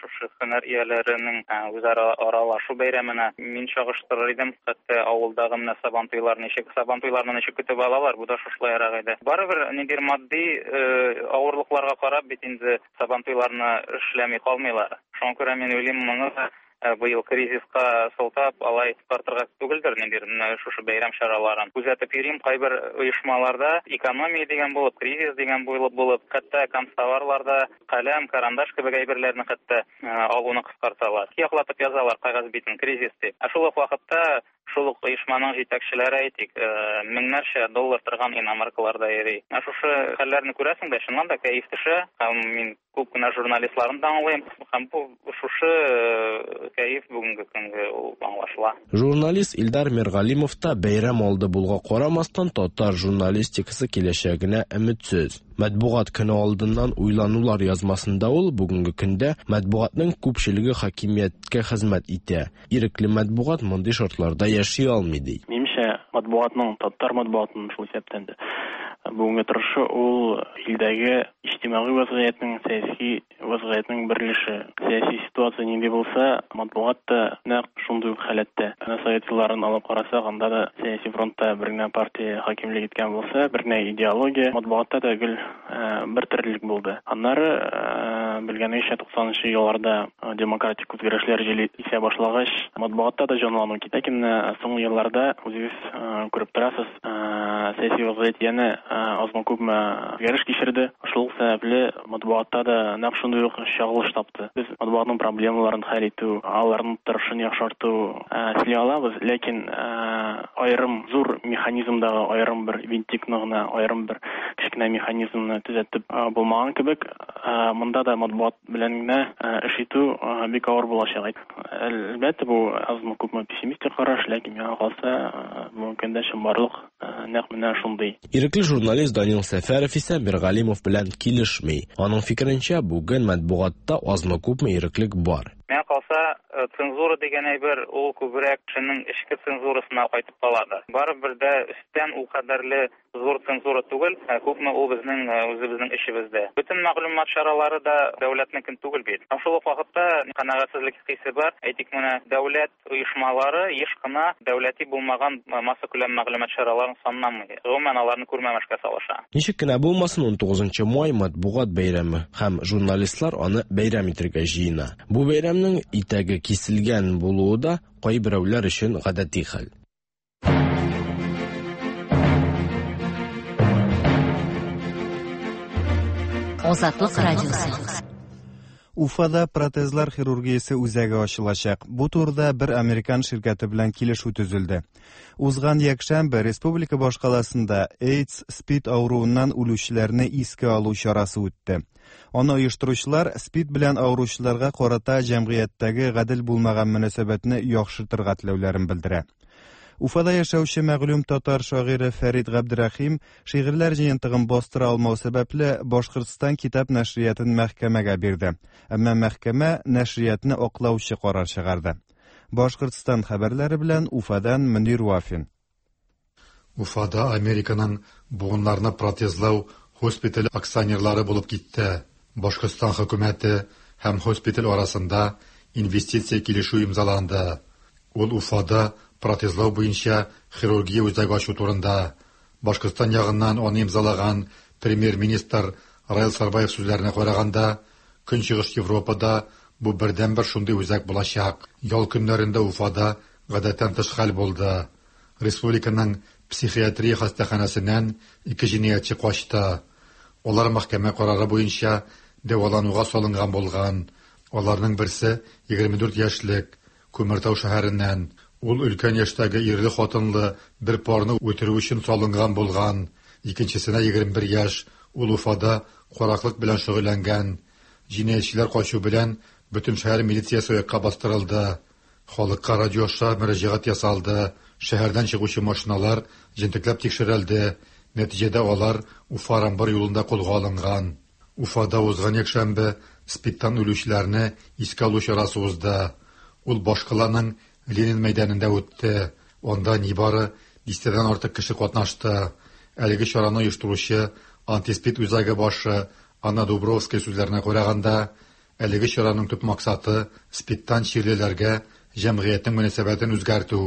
шушы һөнәр ияләренең үзара аралашу бәйрәменә мин чагыштырыр идем. Хәтта авылдагы менә сабантуйлар ничек, сабантуйларны ничек көтеп алалар, бу да шушылайрак иде. Барыбер ниндидер матди авырлыкларга карап бит инде сабантуйларны эшләми калмыйлар. Шуңа күрә мин уйлыйм, моны быел кризиска сылтап алай картырга түгелдер, ниндидер шушы бәйрәм чараларын. Күзәтеп йөрим, кайбер оешмаларда экономия дигән булып, кризис дигән булып булып, хәтта канцтоварларда каләм, карандаш кебек әйберләрне хәтта алуны кыскарталар. Яклатып язалар кәгазь битен кризис дип. Ә шул ук вакытта шул ук оешманың җитәкчеләре әйтик, меңнәрчә доллар торган иномаркаларда йөри. Ә шушы хәлләрне күрәсең дә, чыннан да кәеф төшә. Һәм мин күп кенә журналистларны да аңлыйм. Һәм бу шушы кәеф бүгенге көнгә ул аңлашыла. Журналист Илдар Миргалимов та бәйрәм алды булга карамастан татар журналистикасы киләчәгенә өметсез. Матбугат көне алдыннан уйланулар язмасында ул бүгенге көндә матбугатның күпчелеге хакимияткә хезмәт итә. Ирекле матбугат мондый шартларда яши алмый ди. Минемчә, матбугатның, татар матбугатының шул исәптән дә Бүгенге торышы ул илдәге иҗтимагый вазгыятьнең, сәяси вазгыятьнең бер өлеше. Сәяси ситуация нинди булса, матбугат та нәкъ шундый ук халәттә. Әнә совет елларын алып карасак, анда да сәяси фронтта бер генә партия хакимлек иткән булса, бер генә идеология, матбугатта да гел бер төрлелек булды. Аннары белгәнегезчә туксанынчы елларда демократик үзгәрешләр җиле исә башлагач, матбугатта да җанлану китә. Ләкин соңгы елларда үзегез күреп торасыз, сәяси вазгыять янә азмы-күпме үзгәреш кичерде. Шул сәбәпле матбугатта да нәкъ шундый ук чагылыш тапты. Без матбугатның проблемаларын хәл итү, аларның торышын яхшырту эшли алабыз, ләкин аерым зур механизмдагы аерым бер винтикны гына, аерым бер кечкенә механизмны төзәтеп булмаган кебек, монда да матбугат белән генә эш итү бик авыр булачак. Әлбәттә, бу азмы-күпме пессимистик караш, ләкин миңа калса, бүгенге көндә чынбарлык нәкъ менә шундый. Ирекле журналист Данил Сәфәров исә Миргалимов белән килешми. Аның фикеренчә, бүген матбугатта азмы-күпме иреклек бар. Миңа калса, цензура дигән әйбер ул күбрәк кешенең эчке цензурасына кайтып каладыр. Барыбер дә өстән ул кадәрле зур цензура түгел, күпме ул безнең үзебезнең эшебездә. Бөтен мәгълүмат чаралары да дәүләтнекен түгел бит. Һәм шул ук вакытта канәгатьсезлек хисе бар. Әйтик, менә дәүләт оешмалары еш кына дәүләти булмаган массакүләм мәгълүмат чараларын санламый. Гомумән аларны күрмәмешкә салыша. Ничек кенә булмасын, ун тугызынчы май матбугат бәйрәме һәм журналистлар аны бәйрәм итәргә җыена. Бу бәйрәмнең итәге киселгән булуы да кайберәүләр өчен гадәти хәл. Азатлык радиосы. Уфада протезлар хирургиясе үзәге ачылачак. Бу турыда бер американ ширкәте белән килешү төзелде. Узган якшәмбе республика башкаласында AIDS СПИД авыруыннан үлүчеләрне искә алу чарасы үтте. Аны оештыручылар СПИД белән авыручыларга карата җәмгыятьтәге гадел булмаган мөнәсәбәтне яхшыртырга теләүләрен белдерә. Уфада яшәүче мәгълүм татар шагыйре Фәрид Габдрәхим шигырьләр җыентыгын бастыра алмау сәбәпле Башкортстан китап нәшриятын мәхкәмәгә бирде. Әмма мәхкәмә нәшриятны аклаучы карар чыгарды. Башкортстан хәбәрләре белән Уфадан Мөнир Вафин. Уфада Американың буыннарны протезлау госпиталь акционерлары булып китте. Башкортстан хөкүмәте һәм госпиталь арасында инвестиция килешү имзаланды. Ул Уфада протезлау буенча хирургия үзәге ачу турында. Башкортстан ягыннан аны имзалаган премьер-министр Раил Сарбаев сүзләренә караганда, Көнчыгыш Европада бу бердәнбер шундый үзәк булачак. Ял көннәрендә Уфада гадәттән тыш хәл булды. Республиканың психиатрия хастаханәсеннән ике җинаятьче качты. Алар мәхкәмә карары буенча дәвалануга салынган булган. Аларның берсе егерме дүрт яшьлек Күмертау шәһәреннән. Ул өлкән яшьтәге ирле хатынлы бер парны үтерү өчен салынган булган. Икенчесенә егерме бер яшь, ул Уфада караклык белән шөгыльләнгән. Җинаятьчеләр качу белән бөтен шәһәр милициясе аякка бастырылды. Халыкка радио аша мөрәҗәгать ясалды. Шәһәрдән чыгучы машиналар җентекләп тикшерелде. Нәтиҗәдә алар Уфа-Рамбар юлында кулга алынган. Уфада узган якшәмбе СПИДтан үлүчеләрне искә алу чарасы узды. Ул башкаланың Ленин мәйданында үтте. Анда нибары дистәдән артык кеше катнашты. Әлеге чараны оештыручы антиспид үзәге башы Анна Дубровская сүзләренә караганда, әлеге чараның төп максаты СПИДтан чирлеләргә җәмгыятьнең мөнәсәбәтен үзгәртү.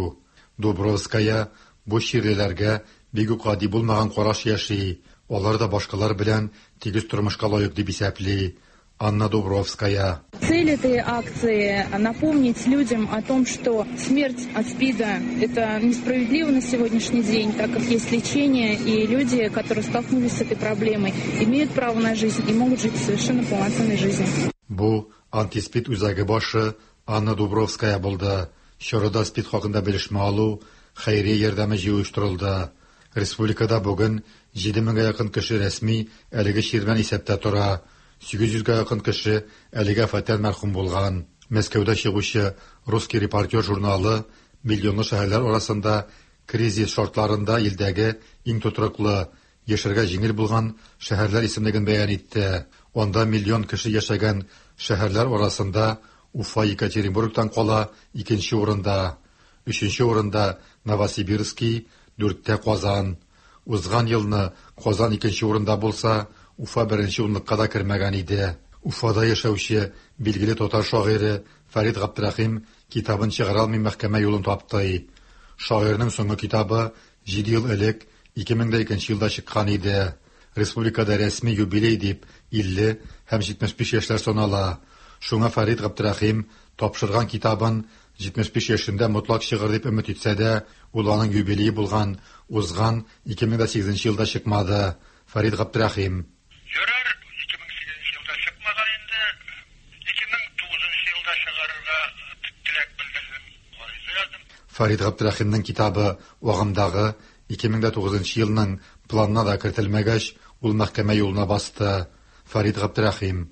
Дубровская бу чирлеләргә бик үк гади булмаган караш яши. Алар да башкалар белән тигез тормышка лаек дип исәпли. Анна Дубровская. Цель этой акции – напомнить людям о том, что смерть от СПИДа – это несправедливо на сегодняшний день, так как есть лечение, и люди, которые столкнулись с этой проблемой, имеют право на жизнь и могут жить совершенно полноценной жизнью. Бу антиспид үзәге башы Анна Дубровская булды. Чарада СПИД хакында белешмә алу, хәйрия ярдәме җыю оештырылды. Республикада бүген җиде меңгә якын кеше рәсми әлеге чир белән исәптә тора. сигез йөзгә якын кеше әлеге афәттән мәрхүм булган. Мәскәүдә чыгучы «Русский репортер» журналы миллионлы шәһәрләр арасында кризис шартларында илдәге иң тотрыклы, яшәргә җиңел булган шәһәрләр исемлеген бәян итте. Анда миллион кеше яшәгән шәһәрләр арасында Уфа Екатеринбургтан кала икенче урында, өченче урында Новосибирский, дүрттә Казан. Узган елны Казан икенче урында булса, Уфа беренче унлыкка да кермәгән иде. Уфада яшәүче билгеле татар шагыйре Фәрит Габдрәхим китабын чыгара алмый мәхкәмә юлын тапты. Шагыйрьнең соңгы китабы җиде ел элек ике мең дә икенче елда чыккан иде. Республикада рәсми юбилей дип илле һәм җитмеш биш яшьләр санала. Шуңа Фәрит Габдрәхим тапшырган китабын җитмеш биш яшендә мотлак чыгыр дип өмет итсә дә, ул аның юбилее булган узган ике мең дә сигезенче елда чыкмады. Фәрит Габдрәхим: Ярар, ике мең сигезенче елда чыкмаган инде, ике мең тугызынчы елда чыгарырга теләк белдердем, гариза яздым. Фәрит Габдрәхимнең китабы агымдагы ике мең дә тугызынчы елның планына да кертелмәгәч, ул мәхкәмә юлына басты. Фәрит Габдрәхим: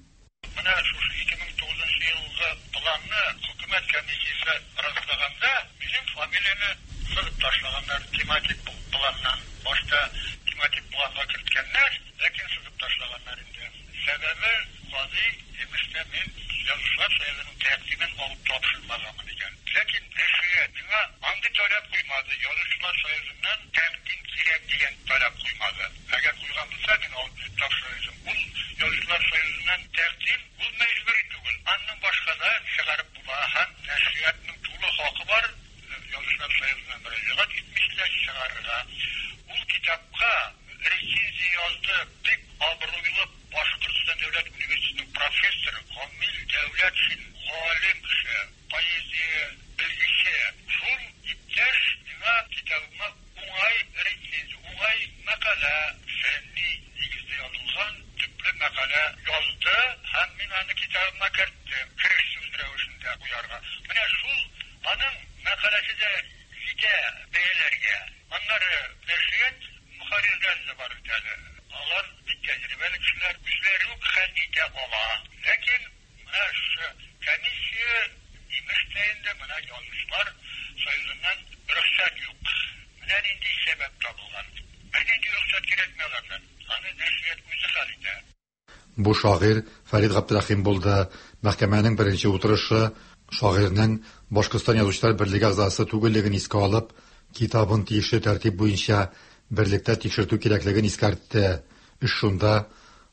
Менә шушы ике мең тугызынчы елгы планны хөкүмәт комиссиясе раслаганда, минем фамилияне сызып ташлаганнар тематик планнан. Башта тематик планга керткәннәр, ләкин сызып ташлаганнар инде. Сәбәбе казый имештә мин Язучылар союзының тәкъдимен алып тапшырмаганмын икән. Ләкин нәшрият миңа андый таләп куймады. Язучылар союзыннан тәкъдим кирәк дигән таләп куймады. Әгәр куйган булса, мин алып тапшырыр идем. Ул Язучылар союзыннан тәкъдим ул мәҗбүри түгел. Аннан башка да чыгарып була һәм нәшриятның тулы хакы бар. Язучылар союзына мөрәҗәгать итмичә чыгарырга. Ул китапка рецензия язды бик абруйлы Башкортстан дәүләт университетының профессоры Камил Дәүләтшин, галим кеше, поэзия белгече. Шул иптәш миңа китабыма уңай рецензия, уңай мәкалә, фәнни нигездә язылган төпле мәкалә язды һәм мин аны китабыма керттем, кереш сүз рәвешендә куярга. Менә шул аның мәкаләсе дә җитә бәяләргә. Аннары нәшрият мөхәррирләре дә бар бит әле. Алар бик тәҗрибәле кешеләр, үзләре үк хәл итә ала. Ләкин менә шушы комиссия имеш тә инде менә Язучылар союзыннан рөхсәт юк. Менә нинди сәбәп табылган. Бернинди рөхсәт кирәкми алардан. Аны нәшрият үзе хәл итә. Бу шагыйрь Фәрит Габдрәхим булды. Мәхкәмәнең беренче утырышы шагыйрьнең Башкортстан Язучылар берлеге әгъзасы түгеллеген искә алып, китабын тиешле тәртип буенча берлектә тикшертү кирәклеген искәртте. Эш шунда,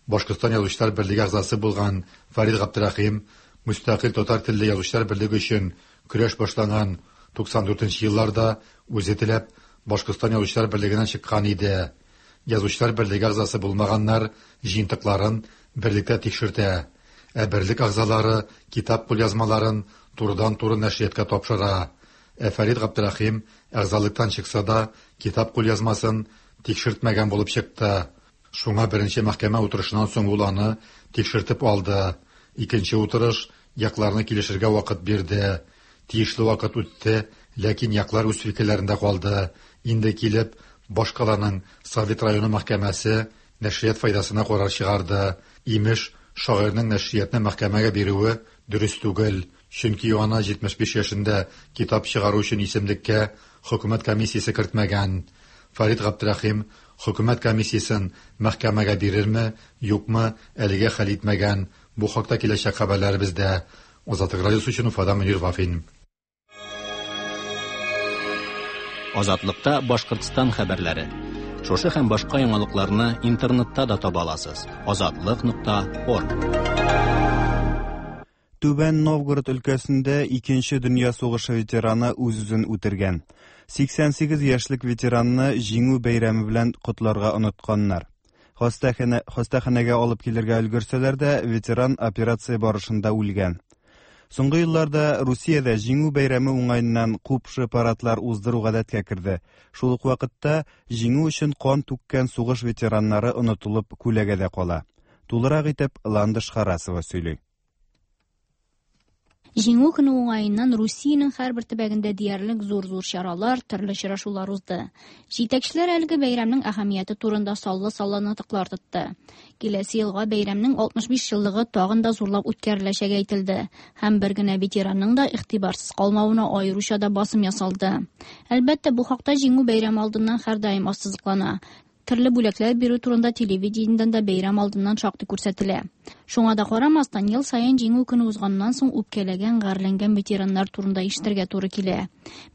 Башкортстан Язучылар берлеге әгъзасы булган Фәрит Габдрәхим мөстәкыйль татар телле Язучылар берлеге өчен көрәш башланган туксан дүртенче елларда үзе теләп Башкортстан Язучылар берлегеннән чыккан иде. Язучылар берлеге әгъзасы булмаганнар җыентыкларын берлектә тикшертә, ә берлек әгъзалары китап кулъязмаларын турыдан-туры нәшриятка тапшыра. Ә Фәрит Габдрәхим әгъзалыктан чыкса да китап кулъязмасын тикшертмәгән булып чыкты. Шуңа беренче мәхкәмә утырышыннан соң ул аны тикшертеп алды. Икенче утырыш якларны килешергә вакыт бирде. Тиешле вакыт үтте, ләкин яклар үз фикерләрендә калды. Инде килеп, башкаланың Совет районы мәхкәмәсе нәшрият файдасына карар чыгарды. Имеш, шагыйрьнең нәшриятны мәхкәмәгә бирүе дөрес түгел, чөнки аны җитмеш биш яшендә китап чыгару өчен исемлеккә хөкүмәт комиссиясе кертмәгән. Фәрит Габдрәхим хөкүмәт комиссиясен мәхкәмәгә бирерме, юкмы, әлегә хәл итмәгән. Бу хакта киләчәк хәбәрләребездә. Азатлык радиосы өчен Уфадан Мөнир Вафин. Азатлыкта Башкортстан хәбәрләре. Шушы һәм башка яңалыкларны интернетта да таба аласыз. азатлык нокта орг. Түбән Новгород өлкәсендә Икенче дөнья сугышы ветераны үз-үзен үтергән. сиксән сигез яшьлек ветеранны Җиңү бәйрәме белән котларга онытканнар. Хастаханә, хастаханәгә алып килергә өлгерсәләр дә, ветеран операция барышында үлгән. Соңгы елларда Русиядә Җиңү бәйрәме уңаеннан купшы парадлар уздыру гадәткә керде. Шул ук вакытта җиңү өчен кан түккән сугыш ветераннары онытылып күләгәдә кала. Тулырак итеп Ландыш Харасова сөйли. Җиңү көне уңаеннан Русиянең һәрбер төбәгендә диярлек зур-зур чаралар, төрле очрашулар узды. Җитәкчеләр әлеге бәйрәмнең әһәмияте турында саллы-саллы нотыклар тотты. Киләсе елга бәйрәмнең алтмыш биш еллыгы тагын да зурлап үткәреләчәге әйтелде һәм бер генә ветеранның да игътибарсыз калмавына аеруча да басым ясалды. Әлбәттә, бу хакта Җиңү бәйрәме алдыннан һәрдаим ассызыклана. Төрле бүләкләр бирү турында телевидениедән дә бәйрәм алдыннан шактый күрсәтелә. Шуңа да карамастан, ел саен Җиңү көне узганнан соң үпкәләгән, гарьләнгән ветераннар турында ишетергә туры килә.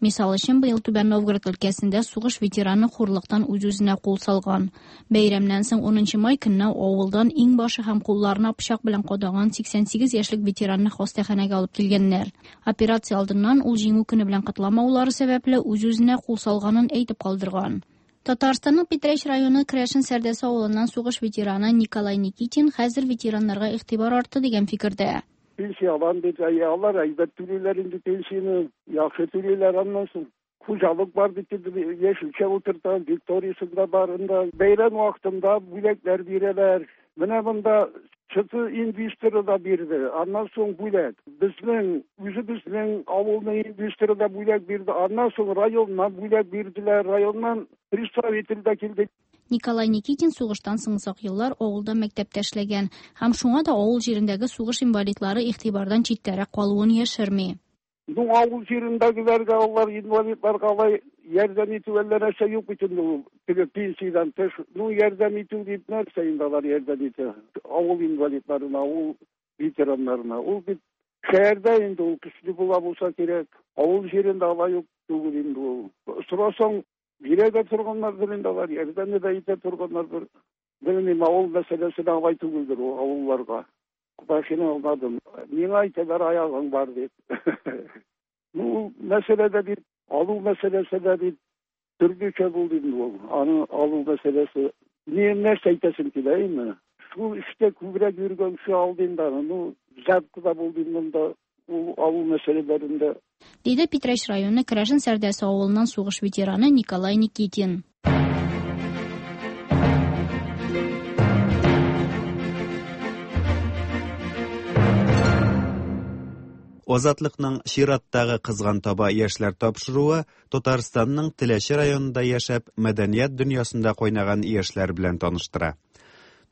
Мисал өчен, быел Түбән Новгород өлкәсендә сугыш ветераны хурлыктан үз-үзенә кул салган. Бәйрәмнән соң унынчы май көнне авылдан иң башы һәм кулларына пычак белән кадаган сиксән сигез яшьлек ветеранны хастаханәгә алып килгәннәр. Операция алдыннан ул Җиңү көне белән котламаулары сәбәпле үз-үзенә кул салганын әйтеп калдырган. Татарстанның Питрәч районы Крәшен Сәрдәсе авылыннан сугыш ветераны Николай Никитин хәзер ветераннарга игътибар артты дигән фикердә. Пенсия алам бит, алар әйбәт түлиләр инде пенсияне, яхшы түлиләр аннан соң. Хуҗалык бар бит инде, яшелчә утырта, Викториясында барында, бәйрәм вакытында бүләкләр бирәләр. Менә монда чыты инвесторы да бирде, аннан соң бүләк. Безнең, үзебезнең авылның инвесторы да бүләк бирде, аннан соң районнан бүләк бирделәр, районнан представитель дә килде. Николай Никитин сугыштан соң озак еллар авылда мәктәптә эшләгән һәм шуңа да авыл җирендәге сугыш инвалидлары игътибардан читтәрәк калуын яшерми. Ну, авыл җирендәгеләргә, алар инвалидларга алай ярдәм итү әллә нәрсә юк бит инде ул. Теге пенсиядән тыш, ну, ярдәм итү дип нәрсә инде алар ярдәм итә? Авыл инвалидларына, авыл ветераннарына. Ул бит шәһәрдә инде ул көчле була булса кирәк. Авыл җирендә алай юк түгел инде ул. Сорасаң, бирә дә торганнардыр инде алар, ярдәм дә итә торганнардыр. Белмим, авыл мәсьәләсе дә алай түгелдер ул авылларга. Машина алмадым. Миңа әйтәләр аягың бар дип. Ну, мәсьәлә дә бит, алу мәсьәләсе дә бит төрлечә булды инде ул. Аны алу мәсьәләсе. Ни нәрсә әйтәсем килә инде? Шул эштә күбрәк йөргән кеше алды инде аны. Ну, запты да булды инде монда ул алу мәсьәләләрендә. Диде Питрәч районы Крәшен Сәрдәсе авылыннан сугыш ветераны Николай Никитин. Азатлыкның чираттагы кызган таба яшьләр тапшыруы Татарстанның Теләче районында яшәп, мәдәният дөньясында кайнаган яшьләр белән таныштыра.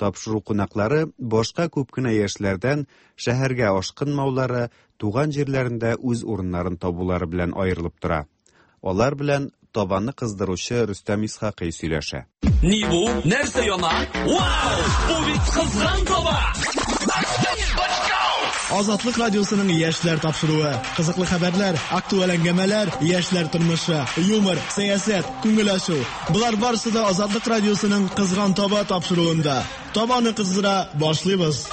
Тапшыру кунаклары башка күп кенә яшьләрдән шәһәргә ашкынмаулары, туган җирләрендә үз урыннарын табулары белән аерылып тора. Алар белән табаны кыздыручы Рөстәм Исхакый сөйләшә. Ни бу? Нәрсә яна? Вау! Бу бит кызган таба! Азатлык радиосының яшьләр тапшыруы. Кызыклы хәбәрләр, актуаль әңгәмәләр, яшьләр тормышы, юмор, сәясәт, күңел ачу. Болар барысы да Азатлык радиосының Кызган таба тапшыруында. Табаны кыздыра башлыйбыз.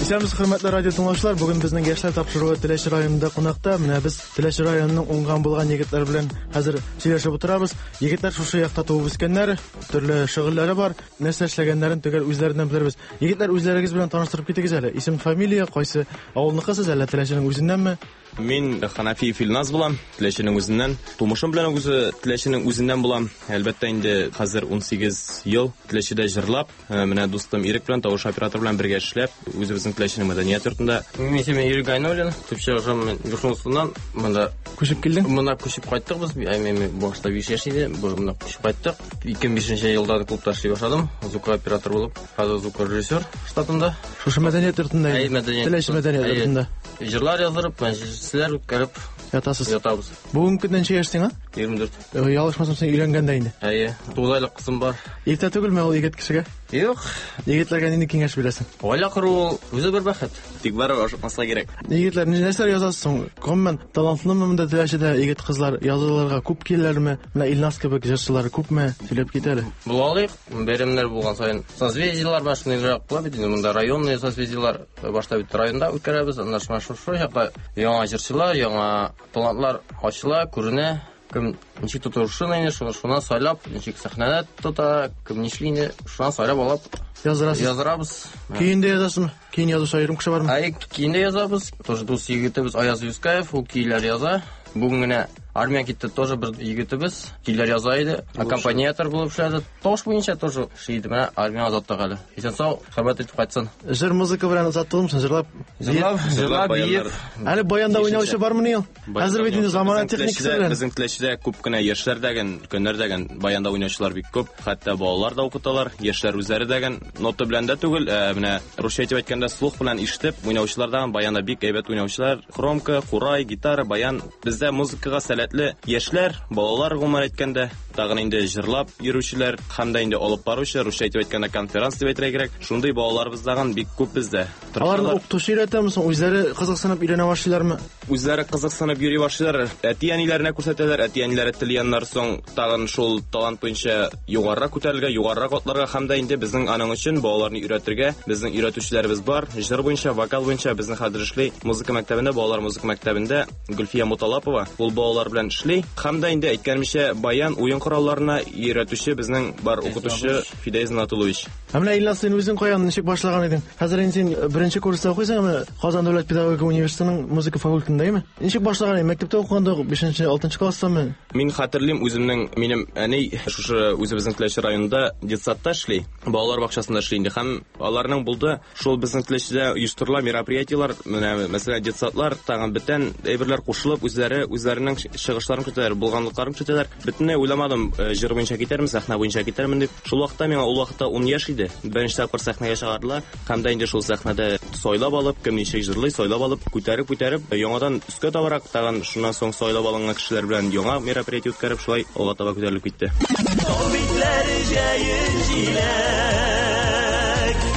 Исәнмесез, хөрмәтле радио тыңлаучылар. Бүген безнең яшьләр тапшыруы Теләче районында кунакта. Менә без Теләче районының уңган булган егетләр белән хәзер сөйләшеп утырабыз. Егетләр шушы якта туып үскәннәр, төрле шөгыльләре бар. Нәрсә эшләгәннәрен төгәл үзләреннән белербез. Егетләр, үзләрегез белән таныштырып китегез әле. Исем, фамилия, кайсы авылныкысыз, әллә Теләченең үзеннәнме? Мин Ханафиев Илназ булам, Теләченең үзеннән. Тумышым белән үзе Теләченең үзеннән булам. Әлбәттә инде хәзер ун сигез ел Теләчедә җырлап, менә дустым Ирек белән, тавыш оператор белән бергә эшләп, үзебезнең Теләченең мәдәният йортында. Минем исемем Ирек Гайнуллин, төп чыгышым Юшунсуннан. Монда күчеп килдең? Монда күчеп кайттык без. Мин башта биш яшь иде, монда күчеп кайттык. ике мең бишенче елда клубта эшли башладым, звукооператор булып, хәзер звукорежиссер штатында. Шушы мәдәният йортында? Теләче мәдәният йортында. Җырлар яздырып, мәҗлесләр үткәреп ятасыз. Ятабыз. Бүгенге көндә ничә яшь сиңа? егерме дүрт. Ялгышмасам, син өйләнгән дә инде. Әйе, тугыз айлык кызым бар. Иртә түгелме ул егет кешегә? Юк. Егетләргә нинди киңәш бирәсең? Гаилә кору ул үзе бер бәхет. Тик барыбер ашыкмаска кирәк. Егетләр, нәрсәләр язасыз соң? Гомумән, талантлымы монда Теләчедә егет кызлар язылырга күп киләләрме? Менә Илназ кебек җырчылар күпме? Сөйләп кит әле. Була алыйк, бәйрәмнәр булган саен созвездиелар бар, шундыйрак була бит инде монда районный созвездиелар башта бит районда үткәрәбез, аннан шушы якта яңа җырчылар, яңа талантлар ачыла, күренә. Кем ничек тотышын инде, шуны шуна сайлап, ничек сәхнәдә тота, кем нишли инде, шуна сайлап алып яздырасыз. Яздырабыз. Көен дә язасызмы? Көен язучы аерым кеше бармы? Әй, көен дә язабыз. Тоже дус егетебез Аяз Юскаев, ул көйләр яза. Бүген генә армия китте, тоже бер егетебез көйләр яза иде. Аккомпаниатор булып эшләде. Тавыш буенча тоже эшли иде. Менә армия озаттык әле. Исән сау, хөрмәт итеп кайтсын. Җыр музыка белән озаттылымы? Җырлап, җырлап, җырлап, биеп. Әле баянда уйнаучы бармыни ул? Хәзер бит инде замана техникасы белән. Безнең Теләчедә күп кенә яшьләр дәген, өлкәннәр дәген баянда уйнаучылар бик күп. Хәтта балалар да укыталар, яшьләр үзләре дәген нота белән дә түгел, менә русча әйтеп әйткәндә слух белән ишетеп уйнаучылар да баянда бик әйбәт уйнаучылар. Хромка, курай, гитара, баян. Бездә музыкага сәләт сәләтле яшьләр, балалар гомумән әйткәндә, тагын инде җырлап йөрүчеләр һәм дә инде алып баручы, русча әйтеп әйткәндә конференц дип әйтергә кирәк. Шундый балаларыбыз тагын бик күп бездә. Аларны укытучы өйрәтәме соң, үзләре кызыксынып өйрәнә башлыйлармы? Үзләре кызыксынып йөри башлыйлар. Әти-әниләренә күрсәтәләр, әти-әниләре теләгәннәр соң тагын шул талант буенча югарырак күтәрелгә, югарырак атларга һәм дә инде безнең аның өчен балаларны өйрәтергә безнең өйрәтүчеләребез бар. Җыр буенча, вокал буенча безнең хәзер эшли музыка мәктәбендә, балалар музыка мәктәбендә Гөлфия Муталапова ул балалар белән эшли. Һәм дә инде әйткәнемчә, баян, уен коралларына өйрәтүче безнең бар укытучы Фидәиз Натулович. Ә менә Илназ, син үзең каян, ничек башлаган идең? Хәзер инде син беренче курста укыйсың, әмма Казан дәүләт педагогика университетының музыка факультетындәме? Ничек башлаган идең? Мәктәптә укыганда бишенче, алтынчы класстамы? Мин хәтерлим үземнең, минем әни шушы үзебезнең Теләче районында детсадта эшли, балалар бакчасында эшли инде. Һәм аларның булды шул безнең Теләчедә оештырыла мероприятиелар, менә мәсәлән детсадлар, тагын бөтен әйберләр кушылып, үзләре үзләренең чыгышларын көтәләр, булганлыкларын көтәләр. Бөтенләй уйламадым, җыр буенча китәрмен, сәхнә буенча китәрмен дип. Шул вакытта миңа ул вакытта ун яшь иде. Беренче тапкыр сәхнәгә чыгардылар. Һәм дә инде шул сәхнәдә сайлап алып, кем ничек җырлый, сайлап алып, күтәреп күтәреп, яңадан өскә табарак, тагын шуннан соң сайлап алынган кешеләр белән яңа мероприятие үткәреп, шулай алга таба күтәрелеп китте. Тау битләре җәен җиләк,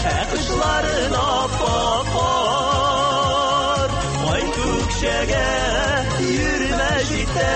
ә кышларын ап-ак кар. Кай күкшәгә йөрмә җитә,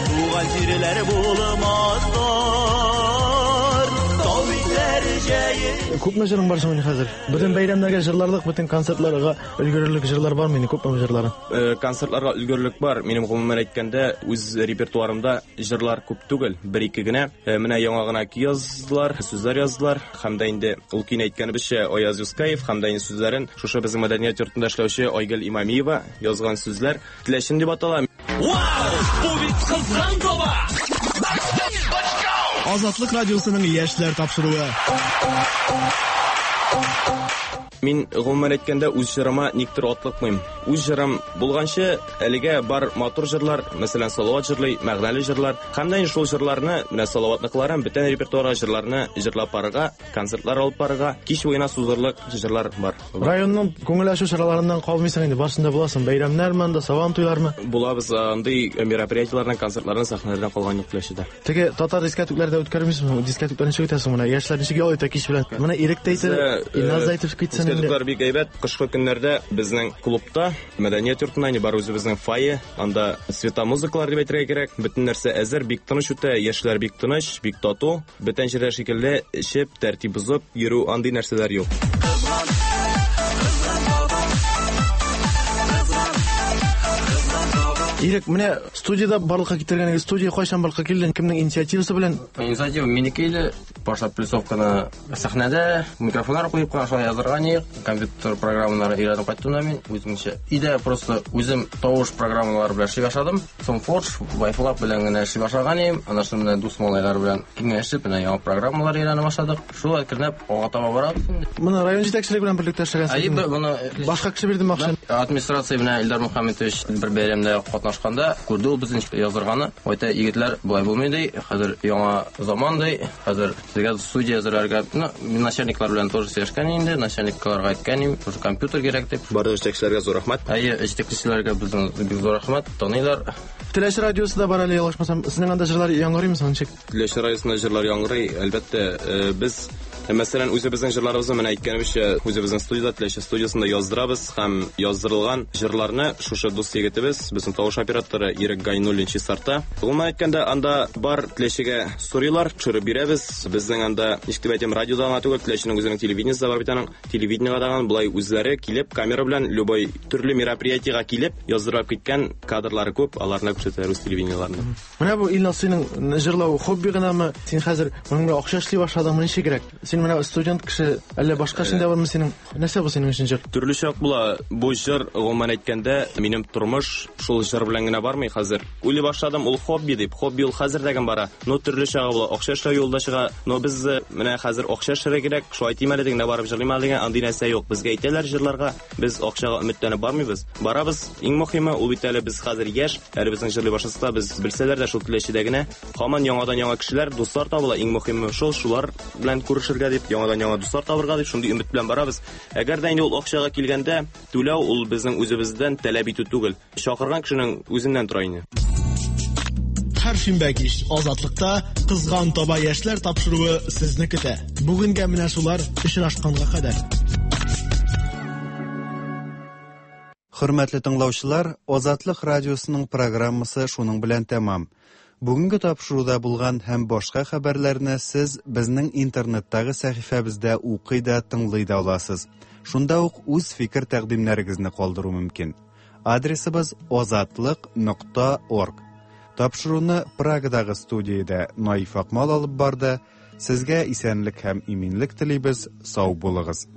туган җирләр булмас тар. Тау битләре җәен. Күпме җырың бар соң хәзер? Бөтен бәйрәмнәргә җырларлык, бөтен концертларга өлгерерлек җырлар бармы инде? Күпме җырларың? Концертларга өлгерлек бар. Минем гомумән әйткәндә, үз репертуарымда җырлар күп түгел, бер-ике генә. Менә яңа гына көй яздылар, сүзләр яздылар. Һәм дә инде ул көйне әйткәнебезчә Аяз Юскаев һәм дә инде сүзләрен шушы безнең мәдәният йортында эшләүче Айгөл Имамиева язган сүзләр Теләчем дип атала. Вау! Бу бит кызган таба! Азатлык радиосының яшьләр тапшыруы. Мин гомумән әйткәндә үз җырыма никтер атлыкмыйм. Үз җырым булганчы әлегә бар матур җырлар, мәсәлән, Салават җырлый, мәгънәле җырлар. Һәм дә инде шул җырларны, менә Салаватныкыларын, бөтен репертуарга җырларны җырлап барырга, концертлар алып барырга, кич буена сузырлык җырлар бар. Районның күңел ачу чараларыннан калмыйсың инде, барсында буласың. Бәйрәмнәрме анда, сабан туйлармы? Булабыз, андый мероприятиеләрдән, концертлардан, сәхнәләрдән калган юк Теләчедә. Теге татар дискәтүкләрдә үткәрмисеңме? Дискәтүкләрне ничек үтәсең менә? Яшьләр ничек ял итә кич белән? Менә Ирек тә әйтә, Илназ да әйтеп китсен. Дискәтүкләр бик әйбәт. Кышкы көннәрдә безнең клубта, мәдәният йортында инде бар үзебезнең фойе, анда светомузыкалар дип әйтергә кирәк. Бөтен нәрсә әзер, бик тыныч үтә, яшьләр бик тыныч, бик тату. Бөтен җирдә шикелле эчеп, тәртип бозып йөрү андый нәрсәләр юк. Ирек, менә студияда барлыкка китергән студия кайчан барлыкка килде? Кемнең инициативасы белән? Инициатива минеке иде. Башлап плюсовканы сәхнәдә микрофоннар куеп кына шулай язырга ни, компьютер программалары өйрәнеп кайттым да мин үземчә. Өйдә просто үзем тавыш программалары белән эшли башладым. Соң Forge, Wi-Fi белән генә эшли башлаган идем. Аннан соң менә дус малайлар белән киңәшеп, менә яңа программалар өйрәнә башладык. Шул әкренләп алга таба барабыз инде. Моны район җитәкчелеге белән берлектә эшләгәнсез. Әйе, моны башка кеше бирдеме акчаны? Администрация белән Илдар Мөхәммәтович бер бәйрәмдә катнашканда күрде ул безнең язырганы. Әйтә, егетләр, болай булмый ди, хәзер яңа заман ди, хәзер сезгә студия әзерләргә, ну, мин начальниклар белән тоже сөйләшкән инде, начальникларга әйткән идем, шушы компьютер кирәк дип. Барлык җитәкчеләргә зур рәхмәт. Әйе, җитәкчеләргә безнең бик зур рәхмәт, таныйлар. Теләче радиосы да бар әле, ялгышмасам, сезнең анда җырлар яңгырыймы соң ничек? Теләче радиосында җырлар яңгырый, әлбәттә, без мәсәлән үзебезнең җырларыбызны менә әйткәнебезчә үзебезнең студияда, Теләче студиясендә яздырабыз һәм яздырылган җырларны шушы дус егетебез, безнең тавыш операторы Ирек Гайнуллин чистарта. Гомумән әйткәндә, анда бар Теләчегә сорыйлар, төшереп бирәбез. Безнең анда, ничек дип әйтәм, радиода гына түгел, Теләченең үзенең телевидениесе бар бит аның. Телевидениегә дагы болай үзләре килеп, камера белән любой төрле мероприятиега килеп, яздырып киткән кадрлары күп, аларны күрсәтәләр үз телевидениеләрендә. Менә бу Илназ, синең җырлау хобби гынамы? Син хәзер моның белән акча эшли башладыңмы, ничегрәк? Син менә студент кеше, әллә башка эшеңдә бармы синең? Нәрсә бу синең өчен җыр? Төрле чак була. Бу җыр, гомумән әйткәндә, минем тормыш шул җыр белән генә бармый хәзер. Уйлый башладым, ул хобби дип. Хобби ул хәзер дә бара. Но төрле чагы була. Акча эшләү юлда чыга. Но без менә хәзер акча эшләргә кирәк, шулай әйтим әле дигәндә барып җырлыйм әле дигән андый нәрсә юк. Безгә әйтәләр җырларга, без акчага өметләнеп бармыйбыз. Барабыз. Иң мөһиме ул бит әле без хәзер яшь, әле безнең җырлый башласа, без белсәләр дә шул Теләчедә генә һаман яңадан яңа кешеләр, дуслар табыла. Иң мөһиме шул, шулар белән күрешергә дип, яңадан яңа дуслар табырга дип, шундый өмет белән барабыз. Әгәр дә инде ул акчага килгәндә, түләү ул безнең үзебездән таләп итү түгел. Чакырган кешенең үзеннән тора инде. Һәр шимбә кич Азатлыкта Кызган таба яшьләр тапшыруы сезне көтә. Бүгенгә менә шулар, очрашканга кадәр. Хөрмәтле тыңлаучылар, Азатлык радиосының программасы шуның белән тәмам. Бүгенге тапшыруда булган һәм башка хәбәрләрне сез безнең интернеттагы сәхифәбездә укый да, тыңлый да аласыз. Шунда ук үз фикер тәкъдимнәрегезне калдыру мөмкин. Адресыбыз азатлык нокта орг. Тапшыруны Прагадагы студиядә Наиф Акмал алып барды. Сезгә исәнлек һәм иминлек телибез. Сау булыгыз.